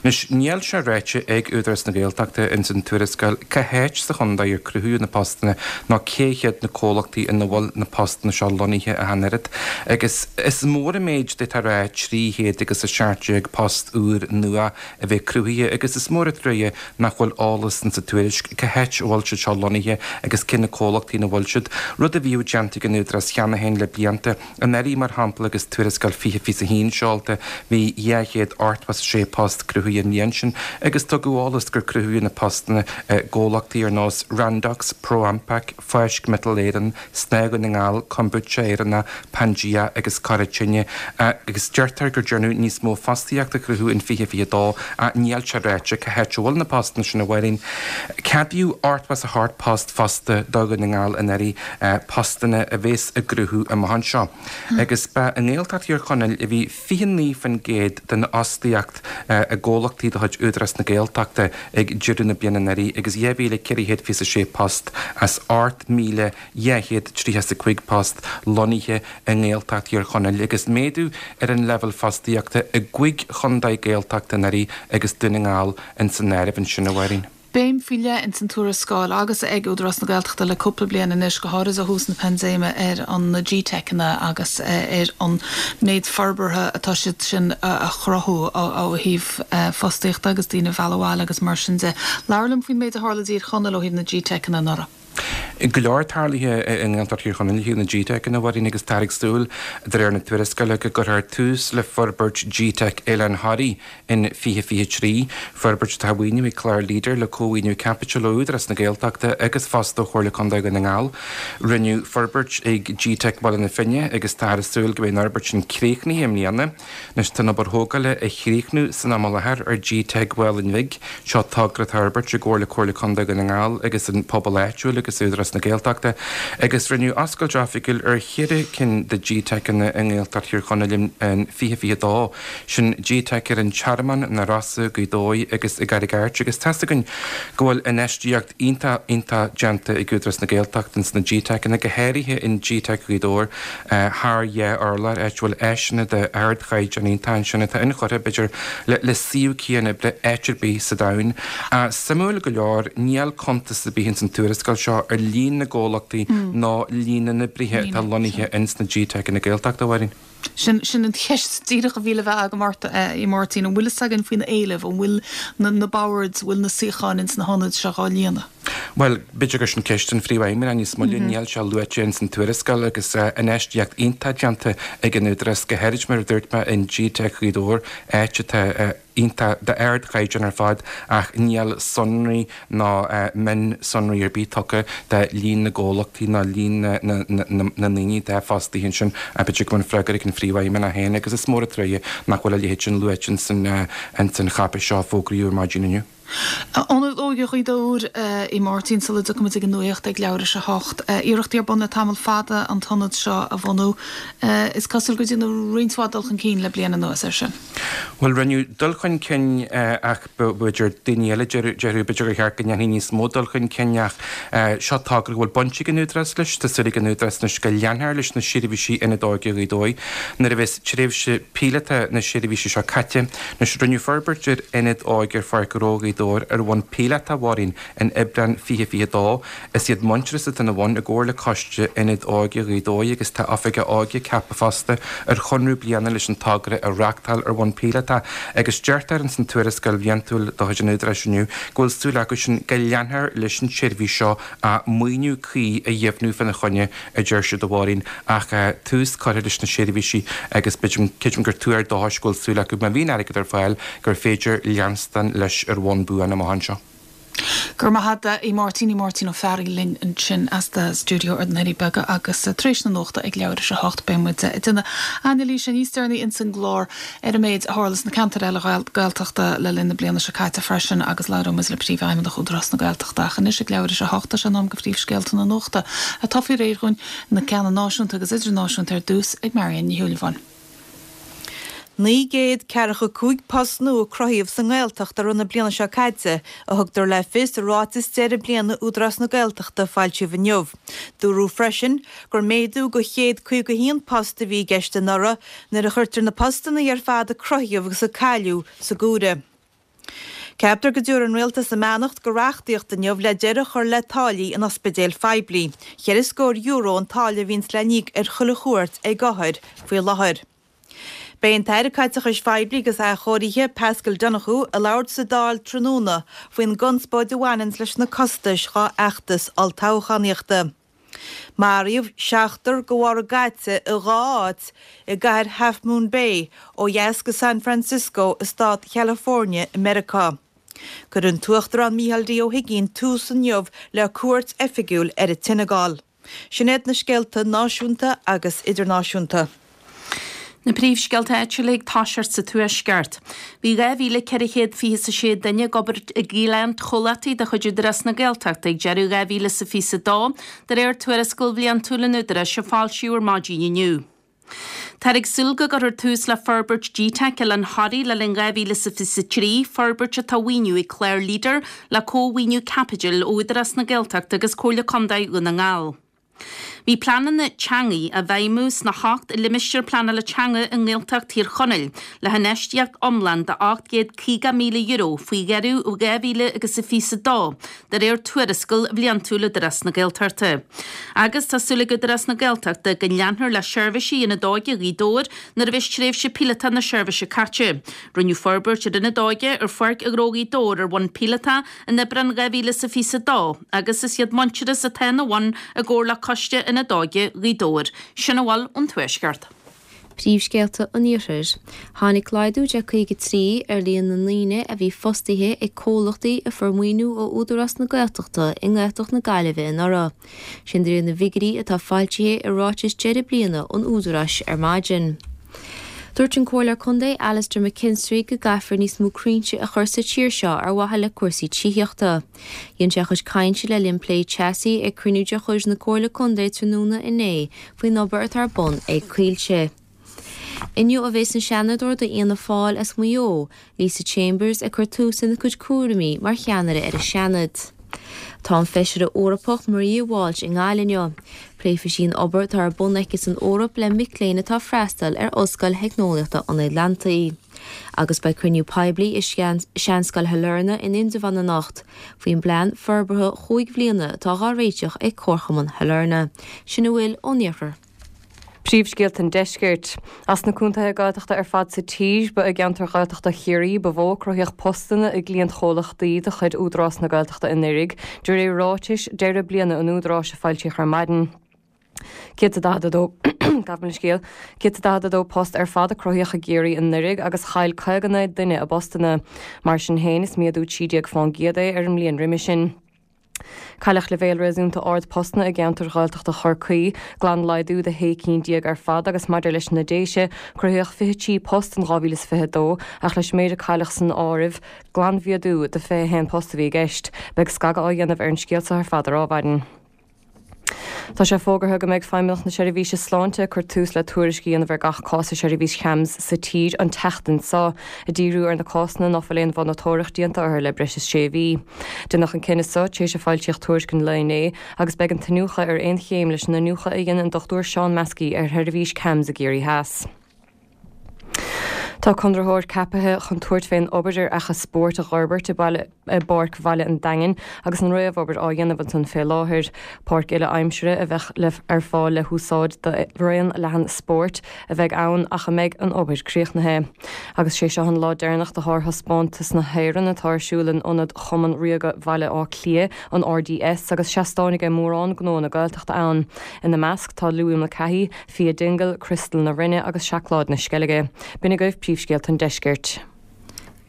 Anois, níl sé ráite ag Údarás na Gaeltachta ins an tuarascáil cá háit sa chontae ar cruthaíodh na postanna ná cé hiad na comhlachtaí ina bhfuil na postanna seo lonnaithe ach an oiread. Agus is mór an méid d'fhéadfá a rá 300 agus 17 post úr nua a bheith cruthaithe agus is mór an truaighe nach bhfuil eolas insa tuairisc cá háit a bhfuil siad seo lonnaithe agus cé na comhlachtaí ina bhfuil siad, rud a bhíodh déanta ag an Údarás cheana féin le blianta. Anuraidh, mar shampla, agus tuarascáil 2021 seolta, bhí 286 post cruthaithe an bhliain sin agus tugadh eolas gur cruthaíodh na postanna i gcomhlachtaí ar nós Randox, ProAmpac, Fáisc Miotal Éireann, Snáth Dhún na nGall, Kombucha Éireannach, Pangea agus Cora Tine agus deirtear gur déanadh níos mó fostaíocht a chruthú in 2022 ach níl sé ráite cá háit a bhfuil na postanna sin a Mháirín. Ceadaíodh 88 post fosta do Dhún na nGall anuraidh, postanna a bhéas á gcruthú amach anseo. Agus ba i nGaeltacht Thír Chonaill a bhí 29% den fhostaíocht i gcomhlachtaí de chuid Údarás na Gaeltachta ag deireadh na bliana anuraidh agus 2,426 post as 8,235 post lonnaithe i nGaeltacht Thír Chonaill agus méadú ar an leibhéal fostaíochta i gcúig chontae Gaeltachta anuraidh agus Dún na nGall ins an áireamh ansin, a Mháirín. Béim faoi leith ins an tuarascáil agus ag Údarás na Gaeltachta le cúpla bliain anois, go háirid ó thús na paindéime, ar an na GTeiceanna agus ar an méid forbartha atá siad sin a chruthú ó thaobh fostaíochta agus daoine a mhealladh abhaile agus mar sin de. Labhair liom faoin méid a tharla i dTír Chonaill ó thaobh na GTeiceanna anuraidh. Go leor tarlaithe i nGaeltacht Thír Chonaill ó thaobh na GTeiceanna, a Mháirín, agus táthar ag súil, de réir na tuarascála, go gcuirfear tús le forbairt GTeic Oileán Thoraí in 2023, forbairt atá á mhaoiniú ag clár Leader le cómhaoiniú caipitil ó Údarás na Gaeltachta agus fosta ó Chomhairle Contae Dhún na nGall. Rinneadh forbairt ag GTeic Bhaile na Finne agus táthar ag súil go mbeidh an fhorbairt sin críochnaithe i mbliana. Anois tá an obair thógála á chríochnú san am i láthair ar GTeic Mhálainn Bhig. Seo togra atá á fhorbairt i gcomhar le Comhairle Contae Dhún na nGall agus an pobal áitiúil agus Údarás na Gaeltachta agus rinneadh oscailt oifigiúil ar cheithre cinn de GTeiceanna i nGaeltacht Thír Chonaill in 2022. Sin GTeic ar an Tearmann, Na Rosa, Gaoth Dobhair agus i gCarraig Airt agus tá's againn go bhfuil infheistíocht iontach, iontach déanta ag Údarás na Gaeltachta ins na GTeiceanna, go háirithe in GTeic Ghaoth Dobhair thar dhá urlár, áit a bhfuil áiseanna d'ardchaighdeán iontach ansin atá inchurtha, b'fhéidir, le suíomh cianoibre áit ar bith sa domhan. Suimiúil go leor, níl cuntas ar bith ins an tuarascáil seo ar líon na gcomhlachtaí ná líon na n-oibrithe atá lonnaithe ins na GTeiceanna Gaeltachta, a Mháirín. Sin, sin an cheist díreach a bhí le bheith agam ort, a Mháirtín. An bhfuil fhios againn faoin éileamh? An bhfuil na boird, an bhfuil na suíocháin ins na hionaid seo dhá líonadh? Bhuel, b'fhéidir gur sin ceist don Phríomhfheidhmeannach níos moille. Níl sé luaite ins an tuarascáil agus infheistíocht iontach déanta ag an Údarás, go háirid mar a dúirt mé in GTeic Ghaoth Dobhair, áit atá iontach d'ardchaighdeán ar fad ach níl sonraí ná mionsonraí ar bith tugtha de líon na gcomhlachtaí ná líon na ndaoine atá fostaithe ansin. B'fhéidir go mbeidh an freagra ag an Phríomhfheidhmeannach féin agus is mór an truaighe nach bhfuil a leithéid sin luaite ins an cháipéis seo a fógraíodh ar maidin inniu. Ionad Óige Ghaoth Dobhair, a Mháirtín, sula dtiocfaimid ag an nuacht ag leathuair tar éis a hocht. Iarrachtaí ar bun le tamall fada an t-ionad seo a bhunú. Is cosúil gur déanadh roinnt mhaith dul chun cinn le bliain anuas air sin. Bhuel, rinneadh dul chun cinn ach b'fhéidir daoine eile déarfadh b'fhéidir gur cheart go ndéanfaí níos mó dul chun cinn ach seo togra go bhfuil baint ag an Údarás leis. Tá súil ag an Údarás anois go leanfar leis na seirbhísí Ionad Óige Ghaoth Dobhair nuair a bheas tréimhse píolóta na seirbhíse seo caite. Anois, rinneadh forbairt ar Ionad Óige ar Pháirc Ghnó Ghaoth Dobhair. Dobhair ar bhonn píolótach, a Mháirín, in Aibreán 2022. Is iad Muintearas atá ina bhun i gcomhar le Coiste Ionad Óige Ghaoth Dobhair agus tá Oifigeach Óige ceaptha fosta ar chonradh bliana leis an togra a reáchtáil ar bhonn píolótach agus deirtear ins an tuarascáil bhliantúil de chuid an Údaráis inniu go bhfuil súil acu sin go leanfar leis an tseirbhís seo ach maoiniú cuí a dheimhniú fána choinne a deir siad a Mháirín ach tús curtha leis na seirbhísí agus creidim gur tuar dóchais go bhfuil súil acu má bhíonn airgead ar fáil gur féidir leanstan leis ar bhonn buan amach anseo. Go raibh maith agat a Mháirtín, Máirtín Ó Fearraigh linn ansin as do stiúideo ar na Doirí Beaga agus tar éis na nuachta ag leathuair tar éis a hocht beidh muid ag déanamh anailíse níos deireanaí ins an gclár ar an méid a tharla sna ceantair eile Gaeltachta le linn na bliana seo caite freisin agus labhróidh muid le Príomhfheidhmeannach Údarás na Gaeltachta. Ach anois ag leathuair tar éis a hocht tá sé in am do phríomhscéalta na nuachta atá faoi réir dhúinn, na ceanna náisiúnta agus idirnáisiúnta ar dtús ag Marianne Ní Shúilleabháin. 945 post nua a cruthaíodh sa nGaeltacht i rith na bliana seo caite, a thugtar le fios i ráiteas deireadh bliana Údarás na Gaeltachta a foilsíodh inniu. Dúradh freisin gur méadú de 151 post a bhí i gceist anuraidh nuair a chuirtear na postanna ar fad a cruthaíodh agus a cailleadh san áireamh. Ceaptar go dtabharfaidh an Rialtas a mbeannacht do reachtaíocht inniu le deireadh a chur le táillí in ospidéil phoiblí. Cheithre scór euro an táille a bhíonns le n-íoc ar chuile chuairt ag othair faoi láthair. Beidh an tAire Caiteachais Phoiblí agus Athchóirithe, Paschal Donohoe, ag labhairt sa Dáil tráthnóna faoin gconspóid a bhaineanns leis na costais dhá fheachtas olltoghchánaíochta. Maraíodh seachtar de bharr a gcaite i dha áit i gcathair Half Moon Bay, ó dheas de San Francisco i stát Chalifornia i Meiriceá. Cuirfidh an tUachtarán Micheál D. Ó hUigínn tús inniu le cuairt oifigiúil ar an tSeineagáil. Sin iad na scéalta náisiúnta agus idirnáisiúnta. Na príomhscéalta áitiúla ag toiseacht sa Tuaisceart. Bhí 2,426 duine ag obair i gcliantchomhlachtaí de chuid Údarás na Gaeltachta ag deireadh 2022, de réir tuarascáil bhliantúil an Údaráis a foilsíodh ar maidin inniu. Táthar ag súil go gcuirfear tús le forbairt GTeic Oileán Thoraí le linn 2023, forbairt atá á mhaoiniú ag clár Leader le comh-mhaoiniú caipitil ó Údarás na Gaeltachta agus Comhairle Contae Dhún na nGall. Bhí pleananna teanga á bhfeidhmiú sna hocht limistéar pleanála teanga i nGaeltacht Thír Chonaill le hinfheistíocht iomlán de €850,000 faoi dheireadh 2022, de réir tuarascáil bhliantúil Údarás na Gaeltachta. Agus tá súil ag Údarás na Gaeltachta go leanfar le seirbhísí Ionad Óige Ghaoth Dobhair nuair a bheas tréimhse píolótach na seirbhíse caite. Rinneadh forbairt ar Ionad Óige ar Pháirc Ghnó Ghaoth Dobhair ar bhonn píolótach in Aibreán 2022 agus is iad Muintearas atá ina bhun i gcomhar le Coiste Ionad Óige Ghaoth Dobhair. Sin a bhfuil ón Tuaisceart. Príomhscéalta an Iarthair. Tháinig laghdú de 53 ar líon na ndaoine a bhí fostaithe ag comhlachtaí a fuair maoiniú ó Údarás na Gaeltachta i nGaeltacht na Gaillimhe anuraidh. Sin de réir na bhfigiúirí atá foilsithe i ráiteas deireadh bliana an Údaráis ar maidin. Dúirt an Comhairleoir Contae Alastair McKinstry go gcaithfear níos mó crainnte a chur sa tír seo ar mhaithe le cúrsaí tithíochta. Dhein sé a chuid cainte le linn plé teasaí ag cruinniú de chuid na Comhairle Contae tráthnóna inné faoin obair atá ar bun ag Coillte. Inniu a bheas an Seanadóir d'Fhianna Fáil as Maigh Eo, Lisa Chambers ag cur tús lena cuid cúraimí mar cheannaire ar an Seanad. Tá an Feisire Eorpach Maria Walsh i nGaillimh inniu. Pléifidh sí an obair atá ar bun aici san Eoraip le mic léinn atá ag freastal ar Ollscoil Theicneolaíochta an Atlantaigh. Agus beidh cruinniú poiblí i Seanscoil Shailearna in Indreabhán anocht faoin bplean forbartha chúig bhliana atá dhá réiteach ag Comharchumann Shailearna. Sin a bhfuil ón iarthar. Príomhscéalta an Deiscirt. As na contaetha Gaeltachta ar fad sa tír, ba i gceantar Ghaeltachta Chiarraí ba mhó a cruthaíodh postanna i gcliantchomhlachtaí de chuid Údarás na Gaeltachta anuraidh, de réir ráitis deireadh bliana an Údaráis a foilsíodh ar maidin. 142 Gabh mo leithscéal. 142 post ar fad a cruthaíodh i gCiarraí anuraidh agus chaill 59 duine a bpostanna. Mar sin féin, is méadú 13 fán gcéad é ar an mbliain roimhe sin. Cailleadh leibhéal réasúnta ard postanna i gceantar Ghaeltachta Chorcaí, glanlaghdú de shé cinn déag ar fad agus maidir leis na Déise, cruthaíodh 23 post in 2022 ach leis an méid a cailleadh san áireamh, glanmhéadú de 21 post a bhí i gceist. Beidh scagadh á dhéanamh ar an scéal seo ar fad ar Adhmhaidin. Tá sé fógartha go mbeidh Feidhmeannacht na Seirbhíse Sláinte ag cur tús le tuairisc a dhéanamh ar gach cás i seirbhís CHAMS sa tír an tseachtain seo, ag díriú ar na cásanna ná fuil aon mhonatóireacht déanta orthu le breis is sé mhí. Deineadh an cinneadh seo tar éis a foilsíodh tuairisc an lae inné agus beidh an t-iniúchadh ar aon chéim leis an iniúchadh a dhein an Dr Seán Maskey ar sheirbhís CHAMS i gCiarraí Theas. Tá conraitheoir ceapaithe chun tabhairt fén obair ar fhaiche spóirt a dh'fhorbairt i bPáirc Bhaile an Daingin agus an réamhobair á dhéanamh ansan fé láthair. Páirc uile aimsire a bheadh le ar fáil le húsáid do raon leathan spóirt a bheidh ann ach a mbeidh an obair críochnaithe. Agus sé seo an lá deireanach de shárthaispeántas na hÉireann atá ar siúl in Ionad Chumann Ríoga Bhaile Átha Cliath, an RDS, agus seastáin aige mórán gnóanna Gaeltachta ann. Ina measc tá Louis Mulcahy, Fia Dingle, Criostal na Rinne agus Seacláid na Sceilge. B'in agaibh príomhscéalta an deiscirt.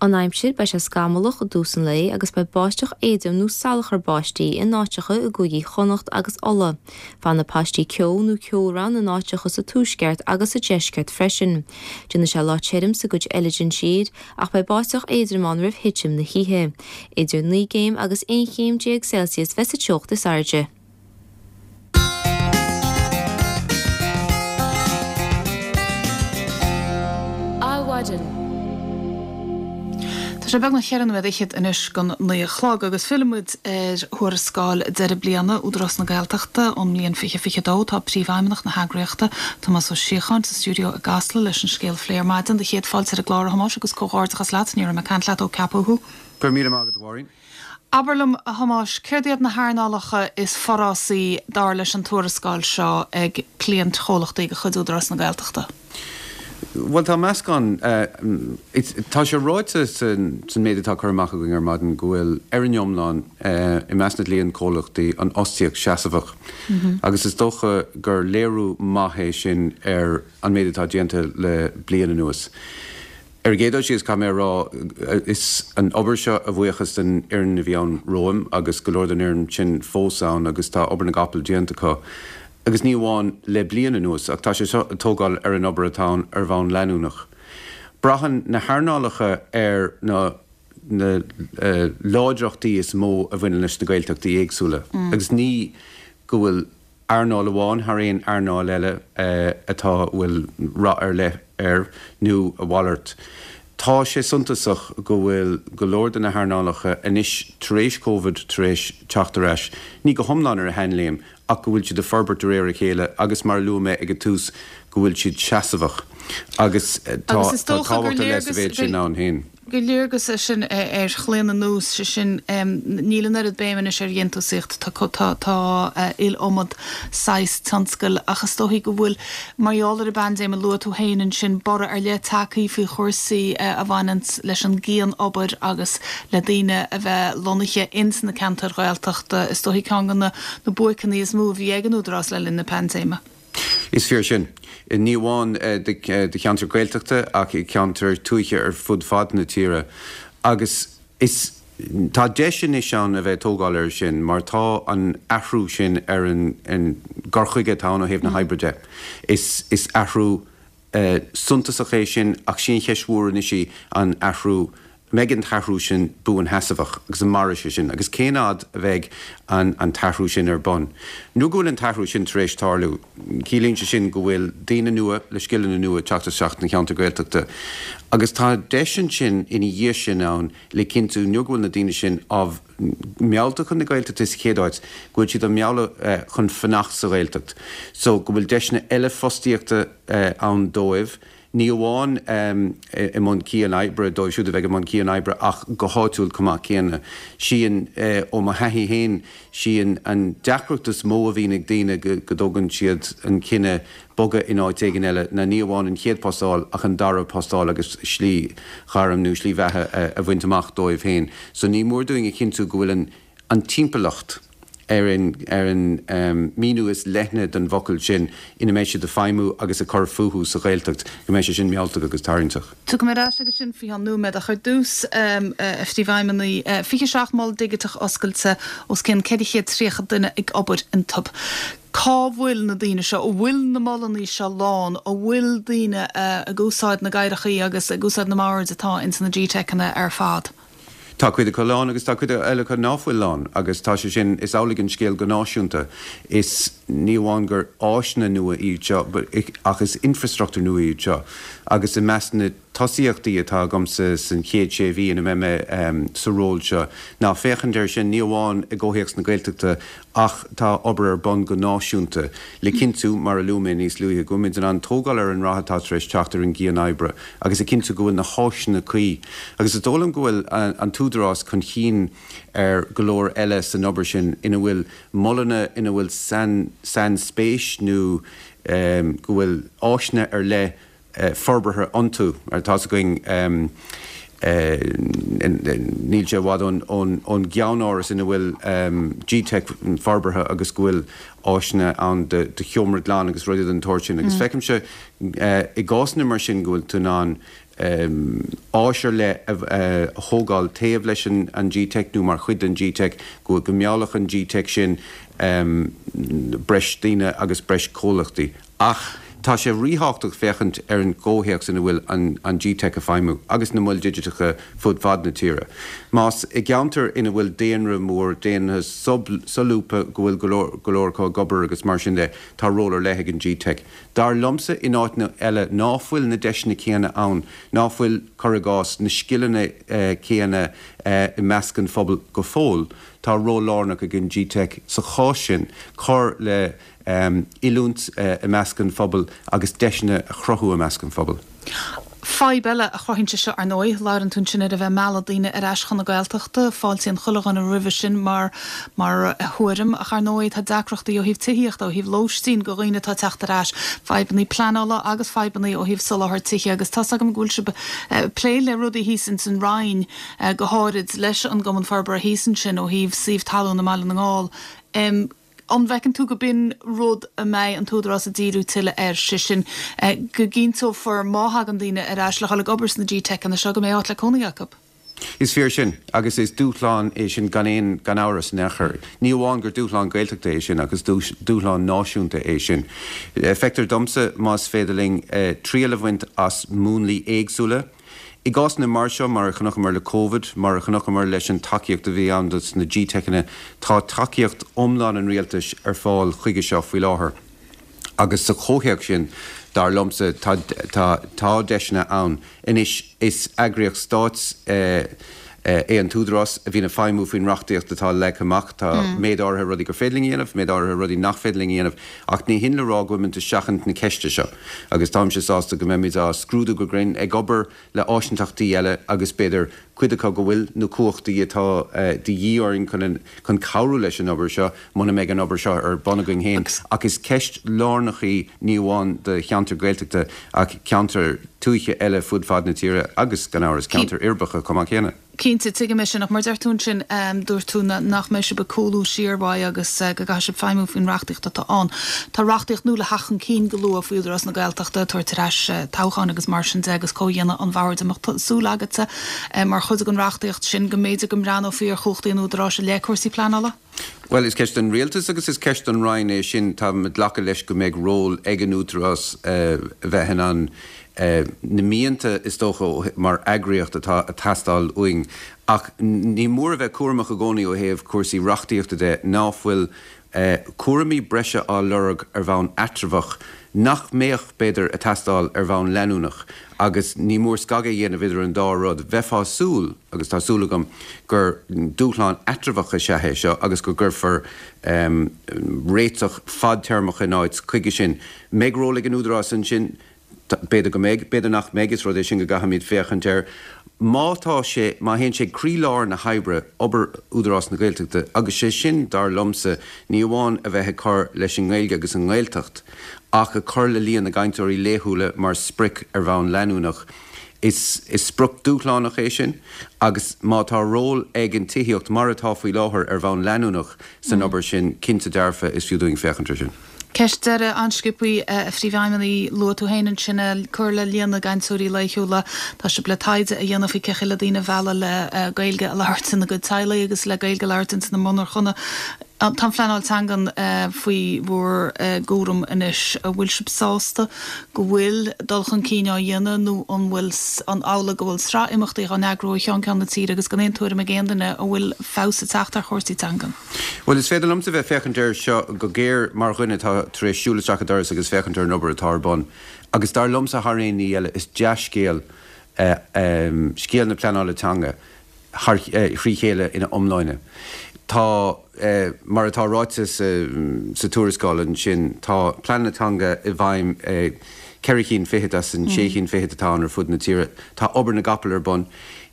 An aimsir, Beidh sé scamallach i dtús an lae agus beidh báisteach éadrom nó salachar báistí in áiteacha i gcúigí Chonnacht agus Uladh. Fanfaidh paistí ceo nó ceobhrán in áiteacha sa tuaisceart agus sa deisceart freisin. Déanfaidh sé lá tirim sa gcuid eile den tír ach beidh báisteach éadrom ann roimh thitim na hoíche. Idir 9 gcéim agus 11 chéim Celsius bheas an teocht is airde. Adhmhaidin. Tá sé beagnach cheithre nóiméad fhichead anois don naoi a chlog agus fillfimid ar thuarascáil deireadh bliana Údarás na Gaeltachta ón mbliain 2022. Tá Príomhfheidhmeannach na heagraíochta, Tomás Ó Síocháin, sa stiúideo i gCasla leis an scéal a phlé ar maidin. Do chéad fáilte ar an gclár, a Thomáis, agus comhghairdeachas leat, ní raibh mé ag caint leat ó ceapadh thú. Go raibh míle maith agat, a Mháirín. Abair liom, a Thomáis, céard iad na hearnálacha is forásaí, dar leis an tuarascáil seo, ag cliantchomhlachtaí de chuid Údarás na Gaeltachta? Bhuel, tá meascán. Tá sé ráite san méid atá curtha amach againn ar maidin go bhfuil, ar an iomlán, i measc na gcliantchomhlachtaí, an fhostaíocht seasmhach. Agus is dócha gur léiriú maith é sin ar an méid atá déanta le bliain anuas. Ar an gcéad dul síos, caithfidh mé a rá, is an obair seo a bhuíochas don fhoireann a bhí ann romham agus go leor den fhoireann sin fós ann agus tá obair na gcapall déanta acu. Agus ní amháin le bliain anuas ach tá sé seo ag tógáil ar an obair atá ann ar bhonn leanúnach. Braitheann na hearnálacha ar na na láidreachtaí is mó a bhaineann leis na Gaeltachtaí éagsúla agus ní go bhfuil earnáil amháin thar aon earnáil eile atá a bhfuil rath ar leith air nó a mhalairt. Tá sé suntasach go bhfuil go leor de na hearnálacha anois tar éis Covid tar éis teacht ar ais, ní go hiomlán ar a sheanléim ach go bhfuil siad ag forbairt de réir a chéile agus mar a luaigh mé ag an tús go bhfuil siad seasmhach agus tá tábhacht ar leith sa mhéid sin ann féin. gur léargas é sin ar chlaonadh nós, sé sin, níl an oiread béim anois ar dhéantúsaíocht, tá tá iliomad saghas tionscail ach is dóichí go bhfuil, mar gheall ar an bpaindéim a luaigh tú féin ansin, borradh ar leith tagtha faoi chúrsaí a bhaineanns leis an gcian-obair agus le daoine a bheith lonnaithe ins na ceantair Ghaeltachta, is dóichí ceann de na buaiceanna is mó a bhí ag an Údarás le linn na paindéime. Is fíor sin. Ní amháin do cheantair Ghaeltachta ach i gceantair tuaithe ar fud fad na tíre. Agus is tá deis anois ann a bheith ag tógáil air sin mar tá an athrú sin ar an gcur chuige atá ann ó thaobh na hoibre de. Is athrú suntasach é sin ach sí an cheist mhór anois í an athrú, an mbeidh an t-athrú sin buansheasmhach agus an mairfidh sé sin agus cén fhad a bheidh an an t-athrú sin ar bun. Nuair go bhfuil an t-athrú sin tar éis tarlú, ciallaíonn sé sin go bhfuil daoine nua le scileanna nua ag teacht isteach sna ceantair Gaeltachta agus tá deis ansin ina dhiaidh sin ann le cinntiú nuair go bhfuil na daoine sin á meallta chun na Gaeltachta sa chéad áit, go bhfuil siad á mealladh chun fanacht sa Ghaeltacht. So go bhfuil deiseanna eile fostaíochta ann dóibh, ní amháin i mbun cian-oibre, dóibh siúd a bheidh i mbun cian-oibre ach go háitiúil chomh maith céanna. Sí an, ó mo thaithí féin, sí an deacracht is mó a bhíonn ag daoine go dtógann siad an cinneadh bogadh in áit éigin eile ná ní amháin an chéad post a fháil ach an dara post a fháil agus slí ghairm nó slí bheatha a bhaint amach dóibh féin. So ní mór dúinn a chinntiú go bhfuil an an timpeallacht, ar an ar an míniú is leithne den bhfocal sin, ina mbeidh siad ag feidhmiú agus ag cur fúthu sa Ghaeltacht, go mbeidh sé sin mealltach agus tarraingteach. Tiocfaidh mé ar ais aige sin faoi cheann nóiméad ach ar dtús, a Phríomhfheidhmeannaigh, 27 mol digiteach oscailte, os cionn 430 duine ag obair iontu. Cá bhfuil na daoine seo? An bhfuil na molanna seo lán? An bhfuil daoine ag úsáid na gcathaoireachaí agus ag úsáid na mbord atá ins na GTeiceanna ar fad? Tá cuid acu lán agus tá cuid eile acu ná fuil lán agus tá sé sin, is amhlaidh an scéal go náisiúnta. Is, ní amháin gur áiseanna nua iad seo ach is infreastruchtúr nua iad seo agus i measc na. tosaíochtaí atá agamsa san chéad sé mhí ina mbeidh mé sa ról seo ná féachaint air sin, ní amháin i gcomhthéacs na Gaeltachta ach tá obair ar bun go náisiúnta le cinntiú, mar a luaigh mé níos luaithe, go bhfuilimid in ann tógáil ar an rath atá tar éis teacht ar an gcian-oibre agus a chinntiú go bhfuil na háiseanna cuí. Agus is dóigh liom go bhfuil an tÚdarás chun chinn ar go leor eile san obair sin ina bhfuil molanna ina bhfuil sainspéis nó go bhfuil áiseanna ar leith forbartha iontu. Mar tá's againn, níl sé i bhfad ón gceannáras ina bhfuil GTeic forbartha agus go bhfuil áiseanna ann do sheomra glan agus rudaí den tsórt sin. Agus feicimse i gcásanna mar sin go bhfuil tú in ann áis ar leith a thógáil taobh leis an GTeic nó mar chuid den GTeic, go meallfadh an GTeic sin breis daoine agus breis comhlachtaí. Ach tá sé ríthábhachtach féachaint ar an gcomhthéacs ina bhfuil an GTeic ag feidhmiú agus na moil digiteacha fud fad na tíre. Más i gceantar ina bhfuil daonra mór, daonra solúbtha, go bhfuil go leor acu ag obair agus mar sin de, tá ról ar leith ag an GTeic. Dar liomsa, in áiteanna eile ná fuil na deiseanna céanna ann, ná fuil, cuir i gcás, na scileanna céanna i measc an phobail go fóill, tá ról lárnach ag an GTeic sa chás sin cur le oiliúint i measc an phobail agus deiseanna a chruthú i measc an phobail. Fadhb eile a chruthaíonn sé seo, ar ndóigh, labhrann tú ansin ar a bheith ag mealladh daoine ar ais chun na Gaeltachta, fáiltíonn chuile dhuine roimhe sin mar mar thuairim, ach ar ndóigh tá deacrachtaí ó thaobh tithíochta, ó thaobh lóistín do dhaoine atá ag teacht ar ais, fadhbannaí pleanála agus fadhbannaí ó thaobh soláthar tithe agus tá's agam go bhfuil sibh ag plé le rudaí thíos ins an Rinn, go háirid leis an gCumann Forbartha thíos ansin ó thaobh suíomh talún i mBaile na nGall. An bhfeiceann tú go b'in rud a mbeidh an tÚdarás ag díriú tuilleadh air, sé sin, go gcinnteofar má thagann daoine ar ais le dhul ag obair sna GTeiceanna seo go mbeidh áit le cónaí acu? Is fíor sin, agus is dúshlán é sin gan aon gan amhras in aon chor. Ní amháin gur dúshlán Gaeltachta é sin ach is dúshlán náisiúnta é sin. Feictear domsa, más féidir linn triail a bhaint as múnlaí éagsúla, I gcásanna mar seo, mar a chonaiceamar le Covid, mar a chonaiceamar leis an tacaíocht a bhí ann dos na GTeiceanna, tá tacaíocht iomlán an Rialtais ar fáil chuige seo faoi láthair agus sa chomhthéacs sin, dar liomsa, tá, tá, tá deiseanna ann. Anois, is eagraíocht stáit é an tÚdarás a bhíonn ag feidhmiú faoin reachtaíocht atá leagtha amach. Tá méid áirithe rudaí gur féidir linn a dhéanamh, méid áirithe rudaí nach féidir linn a dhéanamh, ach ní hin le rá go bhfuilimid ag seachaint na ceiste seo agus táimse sásta go mbeimid á scrúdú go grinn, ag obair le áisinteachtaí eile agus b'fhéidir cuid acu go bhfuil na cumhachtaí atá de dhíth orainn chun chun cabhrú leis an obair seo muna mbeidh an obair seo ar bun againn féin. Ach is ceist lárnach í ní amháin do cheantair Ghaeltachta ach ceantair tuaithe eile fud fad na tíre agus, gan amhras, ceantair uirbeacha chomh maith céanna. Cinnte, tuigim é sin, ach mar deir tú ansin, dúirt tú nach mbeidh sibh ag cúlú siar uaidh agus go gcaithfidh sibh feidhmiú faoin reachtaíocht atá ann. Tá reachtaíocht nua le theacht chun cinn go luath faoi Údarás na Gaeltachta, tabhairt ar ais toghcháin agus mar sin de agus comhdhéanamh an bhoird. An mbeadh súil agatsa, mar chuid den reachtaíocht sin, go mb'fhéidir go mbreathnófaí ar chumhachtaí an Údaráis i leith cúrsaí pleanála? Bhuel, is ceist don Rialtas agus is ceist don Roinn é sin. Táim ag glacadh leis go mbeidh ról ag an Údarás a bheith in ann na mianta, is dócha, mar eagraíocht atá ag teastáil uainn. Ach ní mór a bheith cúramach i gcónaí ó thaobh cúrsaí reachtaíochta de, ná fuil cúraimí breise á lorg ar bhonn eatramhach nach mbeadh, b'fhéidir, ag teastáil ar bhonn leanúnach agus ní mór scagadh a dhéanamh idir an dá rud. Bheifeá ag súil, agus tá súil agam, gur dúshlán eatramhach is ea é seo agus go gcuirfear réiteach fadtéarmach in áit chuige sin. Mbeidh ról ag an Údarás ansin? B'fhéidir go mbeidh, b'fhéidir nach mbeidh, is rud é sin go gcaithfimid féachaint air. Má tá sé, má théann sé ag croílár na hoibre, obair Údarás na Gaeltachta, agus sé sin, dar liomsa, ní amháin a bheith ag cur leis an nGaeilge agus an nGaeltacht, ach ag cur le líon na gcainteoirí laethúla mar sprioc ar bhonn leanúnach, is sprioc dúshlánach é sin agus má tá ról ag an tithíocht, mar atá faoi láthair, ar bhonn leanúnach san obair sin, cinnte dearfa is fiú dúinn féachaint air sin. Ceist deiridh, an-sciobtha, a Phríomhfheidhmeannaigh, luaigh tú féin ansin cur le líon na gcainteoirí laethúla. Tá sibh le taighde a dhéanamh faoi cé chaoi le daoine a mhealladh le Gaeilge a labhairt ina gcuid teaghlaigh agus le Gaeilge a labhairt ins na monarchana. Tá an phleanáil teangan faoi bhur gcúram anois. An bhfuil sibh sásta go bhfuil dul chun cinn á dhéanamh nó an bhfuil an amhlaidh go bhfuil sraith imeachtaí á n-eagrú ó cheann ceann na tíre agus gan aon tuairim ag aon duine an bhfuil feabhas ag teacht ar chúrsaí teangan? Bhuel, is féidir liomsa bheith féachaint air seo go géar mar dhuine atá tar éis siúl isteach an doras agus féachaint ar an obair atá ar bun. Agus dar liomsa thar aon ní eile, is dea-scéal. scéal na pleanála teanga thar thrí chéile ina iomláine. Tá, mar atá ráite sa tuarascáil ansin, tá pleananna teanga i bhfeidhm i gceithre chinn fichead as an sé chinn fichead atá ann ar fud na tíre. Tá obair na gcapall ar bun.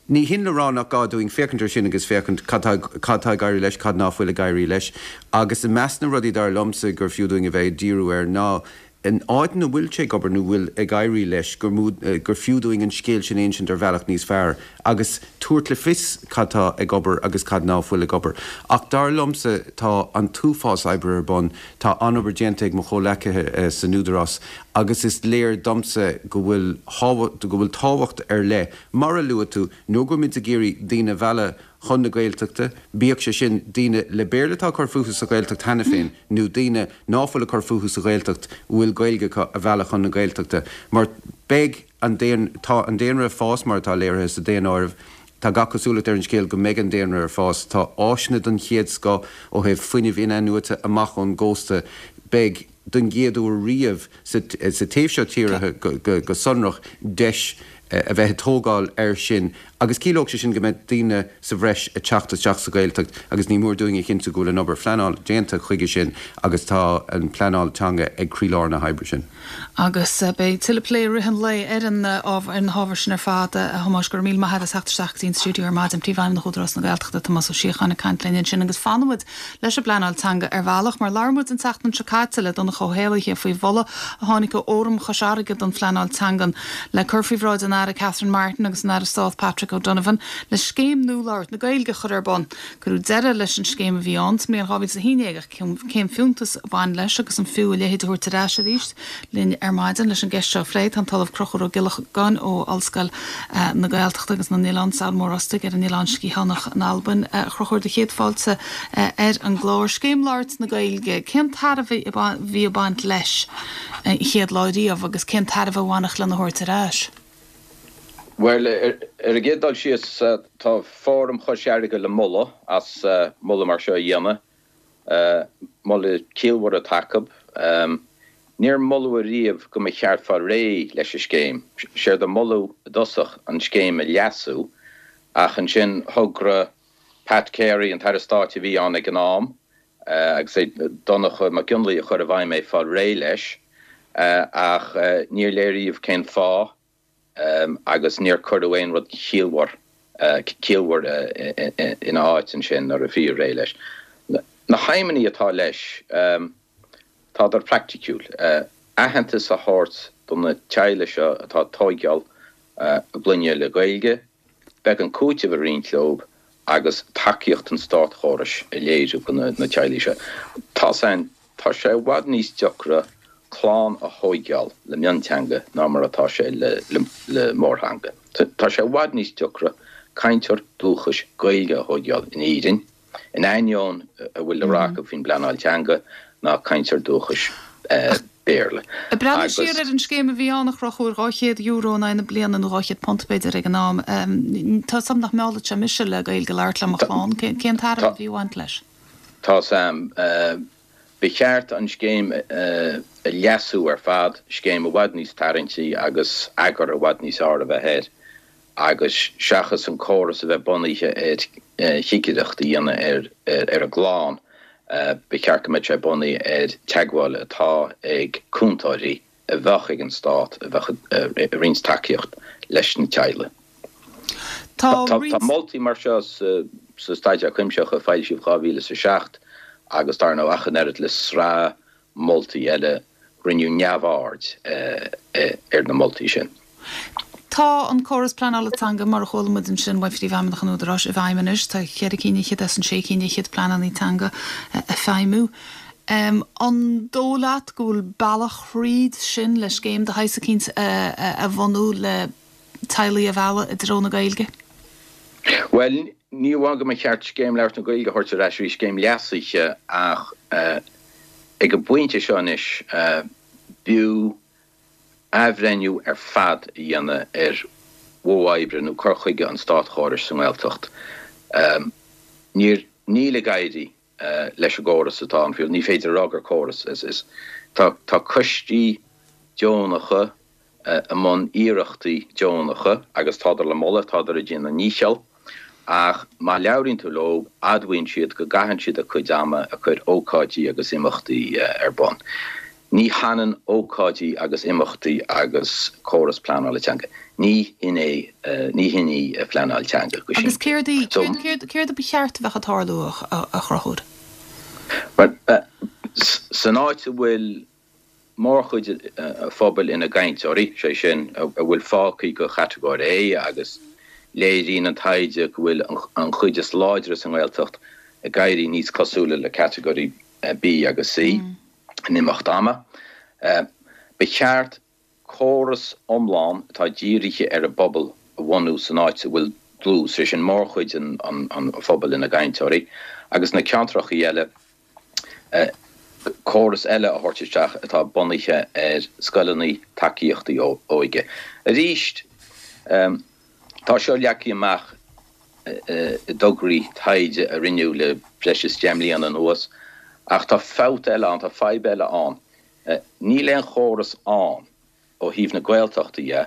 Ní hin le rá nach gá dúinn féachaint air sin agus féachaint cad tá cad tá ag éirí leis, cad ná fuil ag éirí leis. Agus i measc na rudaí dar liomsa gur fiú dúinn a bheith ag díriú air ná in áit ina bhfuil sé ag obair nó bhfuil ag éirí leis gur mó gur fiú dúinn an scéal sin a insint ar bhealach níos fearr agus tabhairt le fios cad tá ag obair agus cad ná fuil ag obair. Ach dar liomsa tá an t-uafás oibre ar bun, tá an-obair déanta ag mo chomhleacaithe san Údarás agus is léir domsa go bhfuil go bhfuil tábhacht ar leith, mar a luaigh tú, nó go bhfuil muid ag iarraidh daoine a mhealladh chun na Gaeltachta, bíodh sé sin daoine le Béarla atá ag cur fúthu sa Ghaeltacht cheana féin nó daoine ná fuil ag cur fúthu sa Ghaeltacht a bhfuil Gaeilge acu a mhealladh chun na Gaeltachta. Mar beidh an tá an daonra ag fás mar atá léirithe sa daonáireamh, tá gach cosúlacht ar an scéal go mbeidh an daonra ag fás, tá áiseanna den chéad scoth ó thaobh fuinnimh in-athnuaite amach ón gcósta, beidh, don gcéad uair riamh sa taobh seo tíre go sonrach, deis a bheith ag tógáil air sin agus ciallóidh sé sin go mbeidh daoine sa bhreis ag teacht isteach sa Ghaeltacht agus ní mór dúinn a chinntiú go bhfuil an obair phleanála déanta chuige sin agus tá an pleanáil teanga ag croílár na hoibre sin. Agus beidh tuilleadh plé i rith an lae ar an ar na hábhair sin ar fad. A Thomáis, go raibh míle maith agat as theacht isteach go dtí an stiúideo ar maidin. Príomhfheidhmeannach Údarás na Gaeltachta, Tomás Ó Síocháin ag caint linn ansin agus fanfaimid leis an bpleanáil teanga ar bhealach, mar labhair muid an tseachtain seo caite le Donncha Ó hÉallaithe faoi mholadh a tháinig ó Fhóram Chois Fharraige don Phleanáil Teangan le cur faoi bhráid an Aire Catherine Martin agus an Aire Stáit Patrick O'Donovan le scéim nua labhairt na Gaeilge a chur ar bun. Cuireadh deireadh leis an scéim a bhí ann sa mbliain 2011 ach cén fiúntas a bhain leis agus an fiú a leithéid a thabhairt ar ais arís? Linn ar maidin leis an gceist seo a phlé tá an tOllamh Conchúr Ó Giollagáin ó Ollscoil na Gaeltachta agus na nOileán, Sabhal Mór Ostaig ar an Oileán Sgitheanach in Albain. A Chonchúir, do chéad fáilte ar an gclár. Scéim Labhairt na Gaeilge, cén tairbhe a bhí ag baint leis an chéad lá riamh agus cén tairbhe a bhainfeadh lena thabhairt ar ais? Bhuel, ar an gcéad dul síos, tá Fóram Chois Fharraige le moladh as moladh mar seo a dhéanamh. Moladh ciallmhar atá acu. Níor moladh ariamh go mba cheart fáil réidh leis an scéim. Séard a moladh i dtosach an scéim a leasú ach ansin thogra Pat Carey, an tAire Stáit a bhí ann ag an am, agus é Donncha Mac Fhionnlaoich a chur i bhfeidhm é fáil réidh leis ach níor léiríodh cén fáth. agus níor cuireadh aon rud ciallmhar ciallmhar ina áit ansin nuair a bhí réidh leis. Na haidhmeanna atá leis, tádar praiticiúil. Aitheantas a thabhairt do na teaghlaigh seo atá ag tóigeáil a gclainne le Gaeilge, beagán cúitimh a roinnt leo agus tacaíocht an státchórais a léiriú do na teaghlaigh seo. Tá's a'inn Tá sé i bhfad níos deacra clann a thóigeáil le mionteanga ná mar atá sé le mórtheanga. Tá sé i bhfad níos deacra cainteoir dúchais Gaeilge a thóigeáil in Éirinn, in ainneoin a bhfuil le rá acu faoin bpleanáil teanga, ná cainteoir dúchais Béarla. Ag breathnú siar ar an scéim a bhí ann, a Chonchúir, €200 in aghaidh na bliana, nó £200 b'fhéidir ag an am, tá's a'm nach meallfadh sé mise le Gaeilge a labhairt le mo chlann. Cén tairbhe a bhí ag baint leis? Tá's a'm. Ba cheart an scéim a leasú ar fad, scéim i bhfad níos tarraingtí agus eagar i bhfad níos fearr a bheith air agus seachas an córas a bheith bunaithe ar chigireacht a dhéanamh ar an gclann, ba cheart go mbeadh sé bunaithe ar teagmháil atá ag cúntóirí a bheadh ag an stát a bheadh ag roinnt tacaíocht leis na teaghlaigh. Tá Tá moltaí mar seo sa Staidéar Cuimsitheach a foilsíodh 2007 agus dar ndóigh ach an oiread le sraith moltaí eile, rinneadh neamhaird ar na moltaí sin. Tá an córas pleanála teanga, mar a chuala muid ansin ó Phríomhfheidhmeannach an Údaráis, i bhfeidhm anois. Tá cheithre cinn fhichead as an sé cinn fhichead pleananna teanga ag feidhmiú. An dóigh leat go bhfuil bealach thríd sin le scéim de shaghas eicínt a bhunú le teaghlaigh a mhealladh i dtreo na Gaeilge? Bhuel, ní amháin go mba cheart Scéim Labhairt na Gaeilge a thabhairt ar ais arís, scéim leasaithe, ach ag an bpointe seo anois, b'fhiú athbhreithniú ar fad a dhéanamh ar mhodh oibre nó cur chuige an státchórais sa nGaeltacht. Níor, níl ag éirí leis an gcóras atá ann faoi, ní féidir a rá gur córas, is, tá, tá coistí deonacha. i mbun iarrachtaí deonacha agus tádar le moladh, tádar ag déanamh a ndícheall ach má labhraíonn tú leo admhaíonn siad go gcaitheann siad a gcuid ama ag cur ócáidí agus imeachtaí ar bun. Ní hionann ócáidí agus imeachtaí agus córas pleanála teanga. Ní hin é, ní hin í pleanáil teanga go simplí. Agus céard í, céard, céard a ba cheart a bheadh ag tarlú a Chonchúir? Bhuel, san áit a bhfuil mórchuid an phobail ina gcainteoirí, sé sin, a bhfuil fágtha go Chatagóir A agus léiríonn an taighde go bhfuil an chuid is láidre sa nGaeltacht ag éirí níos cosúla le Catagóirí B agus C in imeacht ama. Ba cheart córas iomlán atá dírithe ar an bpobal a bhunú san áit a bhfuil dlús, sé sin, mórchuid an phobail ina gcainteoirí, agus na ceantracha eile, córas eile a thabhairt isteach atá bunaithe ar scoileanna tacaíochtaí óige. Arís, tá seo leagtha amach i dtograí taighde a rinneadh le breis is 10 mbliana anuas, ach tá fabht eile ann, tá fadhb eile ann. Níl aon chóras ann ó thaobh na Gaeltachta dhe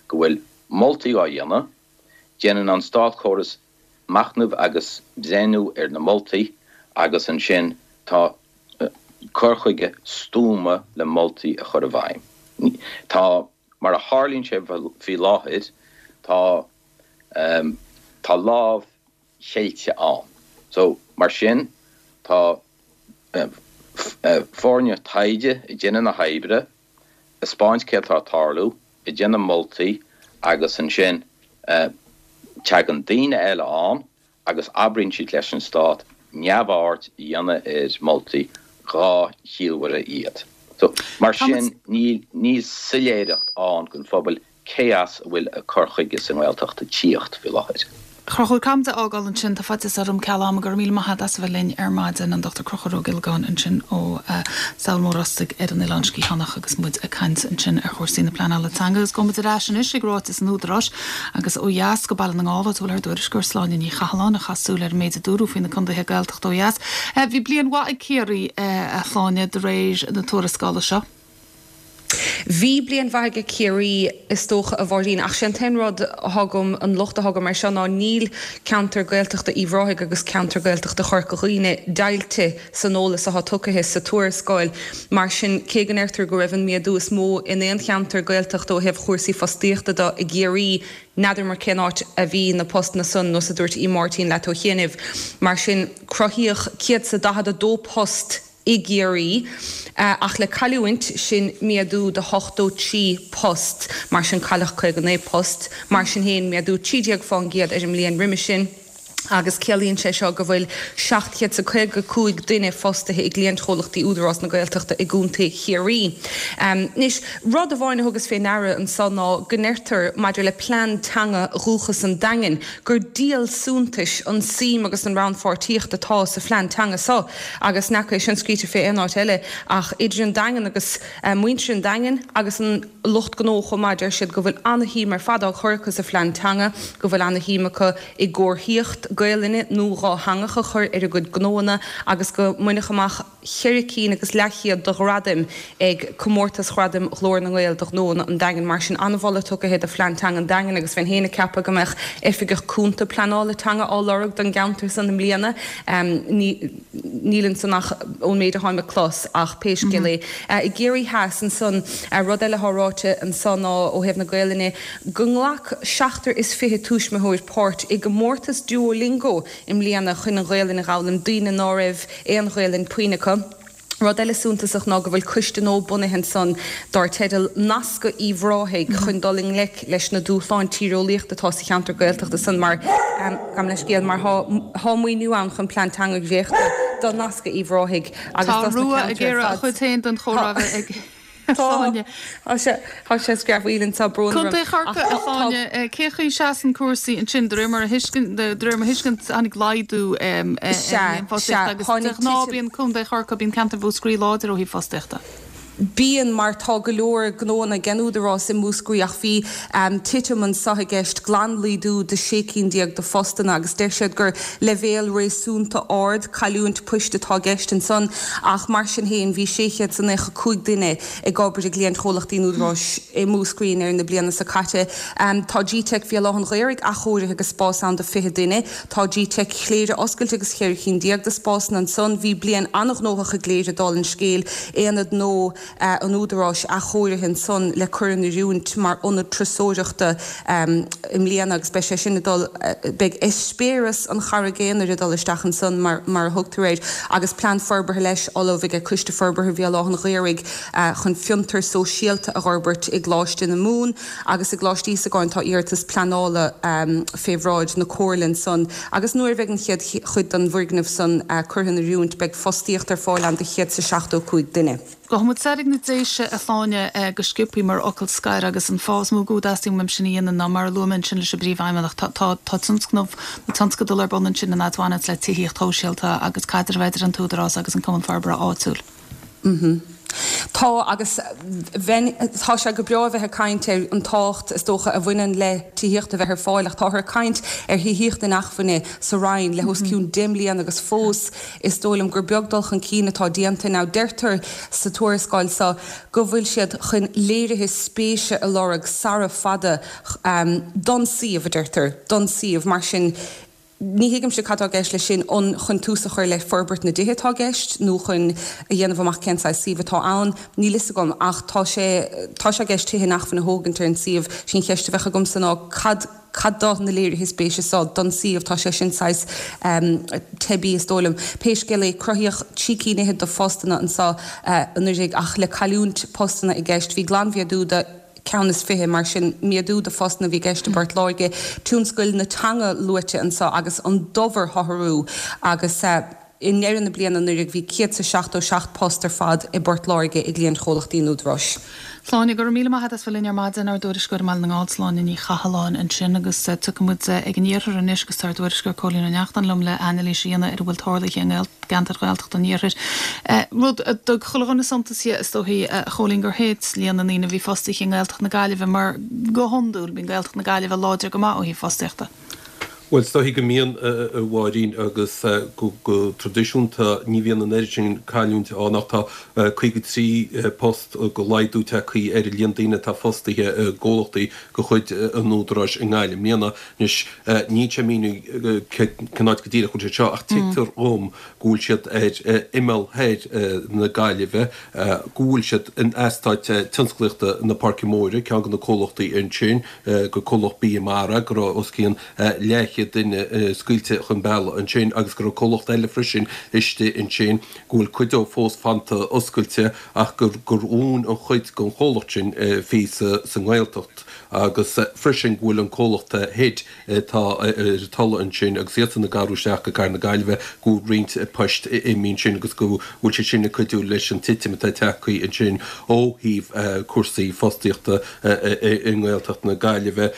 go bhfuil moltaí á dhéanamh, déanann an státchóras machnamh agus breithniú ar na moltaí agus ansin tá cur chuige stuama le moltaí a chur i bhfeidhm. Tá, mar a tharlaíonn sé faoi láthair, tá, tá lámh cheilte ann. So, mar sin, tá foirne taighde ag déanamh na hoibre, ag 'spáint céard atá ag tarlú, ag déanamh moltaí agus ansin tagann daoine eile ann agus oibríonn siad leis an stát neamhaird a dhéanamh ar mholtaí dhá chiallmhaire iad. So, mar sin, níl soiléireacht ann don phobal cé as a bhfuil an cur chuige sa nGaeltacht ag tíocht faoi láthair. A Chonchúir, caithfidh muid a fhágáil ansin, tá faitíos orm ceal ama. Go raibh míle maith agat as a bheith linn ar maidin, an Dr Conchúr Ó Giollagáin ansin ó Sabhal Mór Ostaig ar an Oileán Sciathánach agus muid ag caint ansin ar chúrsaí na pleanála teanga. Agus gabhfaidh muid ar ais anois ag ráiteas an Údaráis agus ó dheas go Baile na nGall áit a bhfuil ár dtuairisceoir Sláine Ní Chathalláin a chaith súil ar an méid a dúradh faoi na contaetha Gaeltachta ó dheas. Bhí bliain mhaith ag Ciarraí, a Shláine, de réir na tuarascála seo. Bhí bliain mhaith aige Ciarraí, is dócha, a Mháirín, ach sé an t-aon rud atá agam, an locht atá agam air seo ná níl ceantar Gaeltachta Uíbh Ráthaigh agus ceantar Gaeltachta Chorca Dhuibhne deighilte san eolas atá tugtha sa tuarascáil. Mar sin, cé go ndeirtear go raibh an méadú is mó in aon cheantar Gaeltachta ó thaobh chúrsaí fostaíochta de i gCiarraí, n'fheadar cén áit a bhí na postanna san, nós a dúirt Uí Máirtín leat ó chianaibh. Mar sin, cruthaíodh 142 post i gCiarraí, ach le cailliúint, sin méadú de 83 post. Mar sin cailleadh 59 post. Mar sin féin, méadú 13 fán gcéad ar an mbliain roimhe sin, agus ciallaíonn sé seo go bhfuil 755 duine fostaithe i gcliantchomhlachtaí Údarás na Gaeltachta i gContae Chiarraí. Anois, rud amháin a thugas fé ndeara anso ná go ndeirtear maidir le plean teanga Dhúchas an Daingin gur díol suntais an suim agus an rannpháirtíocht atá sa phlean teanga so. Agus n'fheaca é sin scríte fé aon áit eile ach idir an Daingean agus muintir an Daingin agus an lucht gnó chomh maith. Deir siad go bhfuil ana-shuim ar fad á cur acu sa phlean teanga, go bhfuil ana-shuim acu i gcomharthaíocht Gaelainne nó dhátheangach a chur ar a gcuid gnóanna agus go mbaineadh amach cheithre cinn agus leathchéad de ghradaim ag comórtas Ghradaim Ghlór na nGael do ghnóanna an Daingin. Mar sin, an-mholadh tugtha do phlean teanga an Daingin agus bheinn féin ag ceapadh go mbeadh oifigeach cúnta pleanála teanga á lorg don gceantar san i mbliana. Níl ansan ach ón méid a tháim ag clos ach pé scéal é. I gCiarraí Theas ansan, rud eile atá ráite anso ná ó thaobh na Gaelainne, go nglac seachtar is 20 tuismitheoir páirt i gcomórtas Duolingo i mbliana chun an Ghaelainn a dh'fhoghlaim, daoine ná raibh aon Ghaelainn puinn acu. Rud eile suntasach ná go bhfuil coiste nua bunaithe ansan dár teideal Nascadh Uíbh Ráthaigh chun dul i ngleic leis na dúshláin tíreolaíochta atá sa cheantar Gaeltachta san mar, gabh mo leithscéal, mar thá maoiniú ann chun plean teanga a dhréachtadh do Nascadh Uíbh Ráthaigh agus Tá dos na Rua ag ceantair ar iarraidh a fad. chuid féin den chomhrá a bheith ag. Tá, tá sé, tá sé screamhaíl anseo, brón orm. Contae Chorcaí, a Shláine, cén chaoi a seasann cúrsaí ansin? De réir mar a thuiscint, de réir mo thuiscint, tháinig laghdú ar líon fostaíochta agus de ghnáth bíonn Contae Chorcaí, bíonn ceantar Mhúscraí láidir ó thaobh fostaíochta. Bíonn, mar tá go leor gnóanna ag an Údarás i Múscraí ach bhí titim anso i gceist, glanlaghdú de 16 cinn de phostanna agus deir siad gur leibhéal réasúnta ard cailliúint poist atá i gceist ansan ach mar sin féin bhí 695 duine ag obair i gcliantchomhlachtaí an Údaráis i Múscraí i ndeireadh na bliana seo caite. Tá GTeic Bhéal Átha'n Ghaorthaidh athchóirithe agus spás ann do 20 duine. Tá GTeic Chléire oscailte agus cheithre cinn déag de spásanna ansan. Bhí bliain an-ghnóthach i gCléire, dála an scéil. Aonad nua an Údaráis athchóirithe ansan le cur in oiriúint mar ionad turasóireachta i mbliana agus beidh sé sin ag dul, beidh eispéireas an Charraig Aonair ag dul isteach ansan mar mar a thugtar air agus plean forbartha leis ullamh ag Coiste Forbartha Bhéal Átha'n Ghaorthaidh chun fiontar sóisialta a dh'fhorbairt i gColáiste na Mumhan. Agus i gColáiste Íosagáin tá iarratas pleanála fé bhráid na Comhairle ansan agus nuair a bheidh an chéad chuid den bhfoirgneamh san curtha in oiriúint beidh fostaíocht ar fáil ann do 175 duine. Gabhfaidh muid soir ag na Déise a Shláine go sciobthaí mar fhocal scoir agus an fáth is mó go dteastaíonn uaim sin a dhéanamh ná mar a luaigh mé ansin leis an bPríomhfheidhmeannach tá tá tá tionscnamh nó tionscadal ar bun ansin in fhad a bhaineanns le tithíocht shóisialta agus caidreamh idir an tÚdarás agus an Cumann Forbartha Áitiúil. Tá, agus bheinn, tá sé go breá a bheith ag caint ar an tábhacht, is dócha, a bhaineann le tithíocht a bheith ar fáil ach táthar ag caint ar thithíocht inacmhainne sa Rinn le os cionn 10 mbliana agus fós is dóigh liom gur beag dul chun cinn atá déanta. Now deirtear sa tuarascáil seo go bhfuil siad chun léirithe spéise a lorg sara fada don suíomh, a deirtear, don suíomh. Mar sin, Ní thuigimse cad tá i gceist leis sin, an chun tús a chur le forbairt na dtithe atá i gceist nó chun a dhéanamh amach cén saghas suíomh atá ann, níl fhios agam, ach tá sé, tá sé i gceist tithe inacmhainne a thógaint ar an suíomh. Sí an cheist a bheadh agamsa ná cad, cad do na léirithe spéise seo don suíomh, tá sé sin saghas teibí is dóigh liom. Pé scéal é, cruthaíodh 13 cinn fhichead de phostanna anseo anuraidh ach le cailliúint postanna i gceist, bhí glanmhéadú de. ceann is 20, mar sin, méadú de phostanna a bhí i gceist i bPort Láirge, tionscail na teanga luaite anseo agus an dobharshaothrú agus i ndeireadh na bliana anuraidh bhí 177 post ar fad i bPort Láirge i gcliantchomhlachtaí an Údaráis. Sláine, Go raibh míle maith agat as bheith linn ar maidin, ár dtuairisceoir i mBaile na nGall, Sláine Ní Chathalláin ansin agus tiocfaidh muid ag an iarthar anois agus tá ár dtuairisceoir Cóilín Ó Neachtain liom le anailís a dhéanamh ar a bhfuil tarlaithe i gceantair Ghaeltachta an iarthair. Rud a dtug chuile dhuine suntas dhe, is dóichí, a Chóilín, gur thit líon na ndaoine a bhí fostaithe i nGaeltacht na Gaillimhe mar go hiondúil bíonn Gaeltacht na Gaillimhe láidir go maith ó thaobh fostaíochta. Bhuel, is dóichí go mbíonn, a Mháirín, agus go traidisiúnta ní bhíonn an oiread sin cailliúint ann ach tá 53 post de laghdú tagtha ar an líon daoine atá fostaithe i gcomhlachtaí de chuid an Údaráis i nGaillimh i mbliana. Anois, níl sé mínithe cén áit go díreach a bhfuil siad seo ach tuigtear dhom go bhfuil siad ar imeall thoir na Gaillimhe, go bhfuil siad in eastát tionsclaíochta na Páirce Móire, ceann de na comhlachtaí ansin, gur comhlacht bia mara, go raibh os cionn leathchéad duine scaoilte chun bealaigh ansin agus go raibh comhlacht eile freisin istigh ansin, go bhfuil cuid dóibh fós fanta oscailte ach gur dhún an chuid den chomhlacht sin a bhí sa nGaeltacht agus freisin go bhfuil an comhlacht HID atá ar an Tulaigh ansin agus iadsan ag athrú isteach go Cathair na Gaillimhe, go bhfuil roinnt poist imithe ansin agus go bhfuil sé sin ag cuidiú leis an titim atá tagtha ansin ó thaobh cúrsaí fostaíochta i nGaeltacht na Gaillimhe.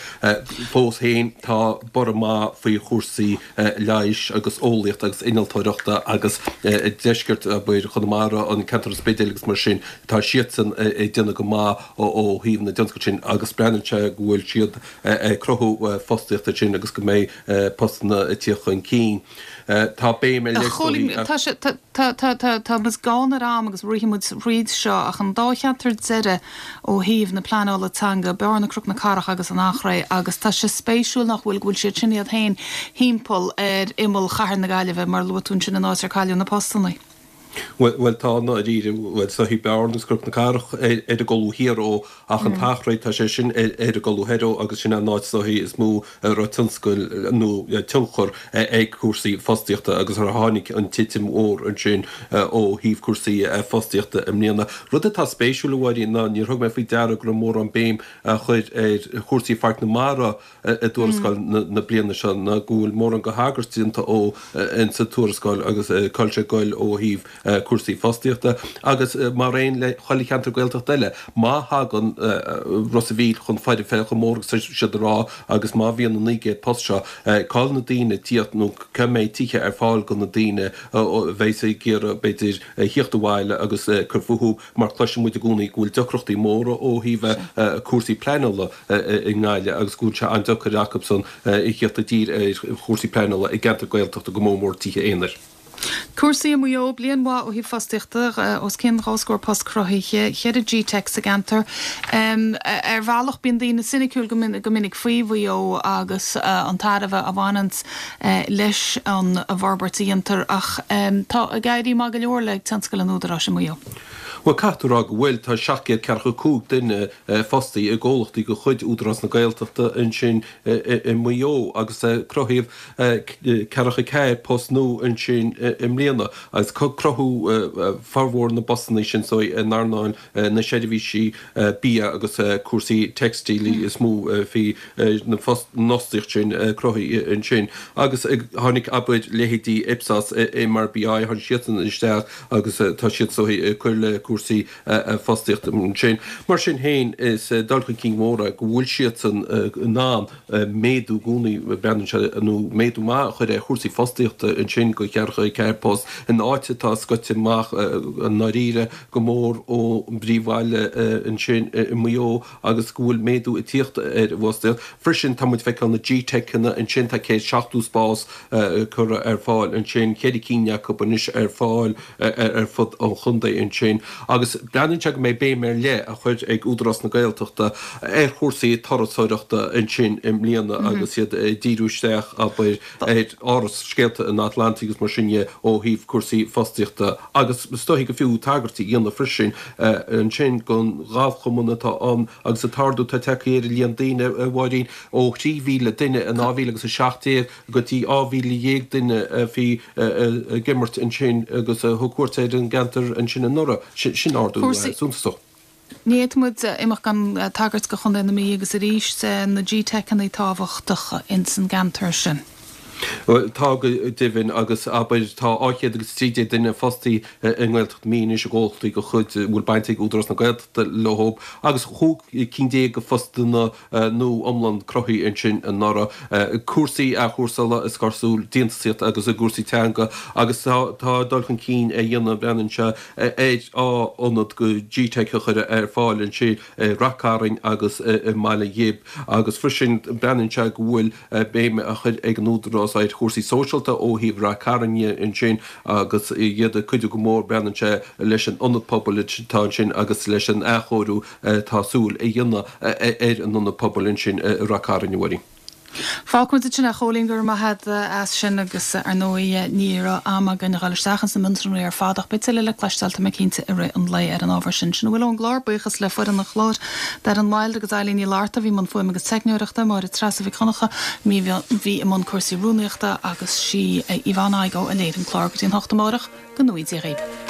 Fós féin, tá borradh maith faoi chúrsaí leighis agus eolaíochta agus innealtóireachta agus deisceart, abair, Chonamara, an ceantar an Spidéil agus mar sin, tá siadsan ag déanamh go maith ó thaobh na dtionscal sin agus breathnaíonn sé go bhfuil siad ag cruthú fostaíochta ansin agus go mbeidh postanna ag tíocht chun cinn. Tá béim ar leith, is dóigh, Tá sé, tá, tá, tá, tá muid gann ar am agus rithfidh muid thríd seo ach an dá cheantar deiridh ó thaobh na pleanála teanga, Bearna, Cnoc na Cathrach agus an Eachréidh agus tá sé spéisiúil nach bhfuil, go bhfuil siad sin iad féin thimpeall ar imeall chathair na Gaillimhe mar a luaigh tú ansin an áit ar cailleadh na postanna. Bhuel, tá, i ndáiríre, bhuel, is dóichí Bearna agus Cnoc na Cathrach ar an gcolú thiar dhó, ach an tEachréidh, tá sé sin ar an gcolú thoir dhó agus sin an áit is dóichí is mó a raibh tionscail nó tionchar ag cúrsaí fostaíochta agus ar tháinig an titim mhór ansin ó thaobh cúrsaí fostaíochta i mbliana. Rud atá spéisiúil, a Mháirín, ná níor thug mé faoi deara go raibh mórán béim á chur ar chúrsaí Pháirc na Mara i dtuarascáil na bliana seo ná go bhfuil mórán de thagairt déanta dhó insa tuarascáil agus cá bhfuil sé ag goil ó thaobh. cúrsaí fostaíochta agus mar aon le chuile cheantar Gaeltachta eile, má thagann Ros a' Mhíl chun foirfe chomh mór agus tá siad ag rá agus má bhíonn na 900 post seo, cá bhfuil na daoine ag tíocht nó cá mbeidh tithe ar fáil do na daoine a bheas ag iarraidh b'fhéidir thíocht abhaile agus cur fúthu mar cloiseann muid i gcónaí go bhfuil deacrachtaí móra ó thaobh cúrsaí pleanála i nGaillimh agus go bhfuil sé an-deacair acusan a thíocht i dtír ar chúrsaí pleanála i gceantar Gaeltachta go mór mór tithe aonair. Cúrsaí i Maigh Eo, bliain mhaith ó thaobh fostaíochta, os cionn dhá scór post cruthaithe, cheithre GTeic sa gceantar. Ar bhealach bíonn daoine soiniciúil go minic faoi Mhaigh Eo agus an tairbhe a bhaineanns leis an bhforbairt a dhéantar ach tá ag éirí maith go leor le tionscal an Údaráis i Maigh Eo. Bhuel, caithfidh tú a rá go bhfuil. Tá 745 duine fostaithe i gcomhlachtaí de chuid Údarás na Gaeltachta ansin i Maigh Eo agus cruthaíodh 44 post nua ansin i mbliana agus cruthú formhór na bpostanna sin so in earnáil na seirbhísí bia agus cúrsaí teicstílí is mó a bhí an fhostaíocht sin cruthaithe ansin. Agus tháinig, abair, leithéidí Ipsos, MRBI, tháinig siadsan isteach agus tá siad so ag cur le cúrsaí fostaíochta ansin. Mar sin féin, is dul chun cinn mór é go bhfuil siadsan in ann méadú i gcónaí, breathnaíonn sé, nó méadú maith a chur ar chúrsaí fostaíochta ansin go 44 post in áit atá scoite amach i ndáiríre go mór ón bpríomhbhaile ansin i Maigh Eo agus go bhfuil méadú ag tíocht ar an bhfostaíocht. Freisin tá muid ag feiceáil na GTeiceanna ansin, tá 170 spás curtha ar fáil ansin, ceithre cinn acu anois ar fáil ar fud an chontae ansin agus breathnaíonn sé go mbeidh béim ar leith á chur ag Údarás na Gaeltachta ar chúrsaí turasóireachta ansin i mbliana agus iad ag díriú isteach, abair, ar Áras Scéalta an Atlantaigh agus mar sin dhe ó thaobh cúrsaí fostaíochta agus is dóichí gur fiú tagairt a dhéanamh freisin ansin don ghalfchumann atá ann agus an t-ardú atá tagtha ar an líon daoine, a Mháirín, ó 3,000 duine in 2017 go dtí 12,000 duine a bhí ag imirt ansin agus a thug cuairt ar an gceantar ansin anuraidh. Sin ardú suntasach. Ní fhéadfadh muid imeacht gan tagairt go Chontae na Mí agus arís na GTeiceanna tábhachtach ins an gceantar sin. Tá go deimhin agus abair tá 213 duine fostaithe i nGaeltacht na Mí anois i gcomhlachtaí de chuid a bhfuil baint ag Údarás na Gaeltachta leo agus 15 cinn de phostanna nua iomlán cruthaithe ansin anuraidh. Cúrsaí athchúrsála is cosúil, déantúsaíocht agus i gcúrsaí teanga agus tá dul chun cinn á dhéanamh, breathnaíonn sé ar ionad go GTeic a chur ar fáil ansin i Rath Cairn agus i mBaile Ghib agus freisin breathnaíonn sé go bhfuil béim á chur ag an Údarás ar chúrsaí sóisialta ó thaobh Rath Cairn dhe ansin agus iad ag cuidiú go mór breathnaíonn sé leis an ionad pobail atá ansin agus leis an athchóiriú Tá súil a dhéanamh ar an ionad pobail ansin i Rath Cairn, a Mháirín. Fágfaimid ansin é, a Chóilín, go raibh maith agat as sin agus ar ndóigh ní raibh am againn a dhul isteach ins na mionsonraí ar fad ach beidh tuilleadh le cloisteáil tá mé cinnte i rith an lae ar an ábhar sin. Sin a bhfuil ón gclár, buíochas le foireann an chláir, Darren Wilde agus Eilín Ní Fhlatharta a bhí i mbun fuaime agus teicneoireachta, Máire Treasa Mhic Dhonncha a bhí i mbun cúrsaí rúnaíochta agus sí Yvonne Igoe a léirigh an clár go dtí an hocht amárach, go ngnóthaí Dia dhaoibh.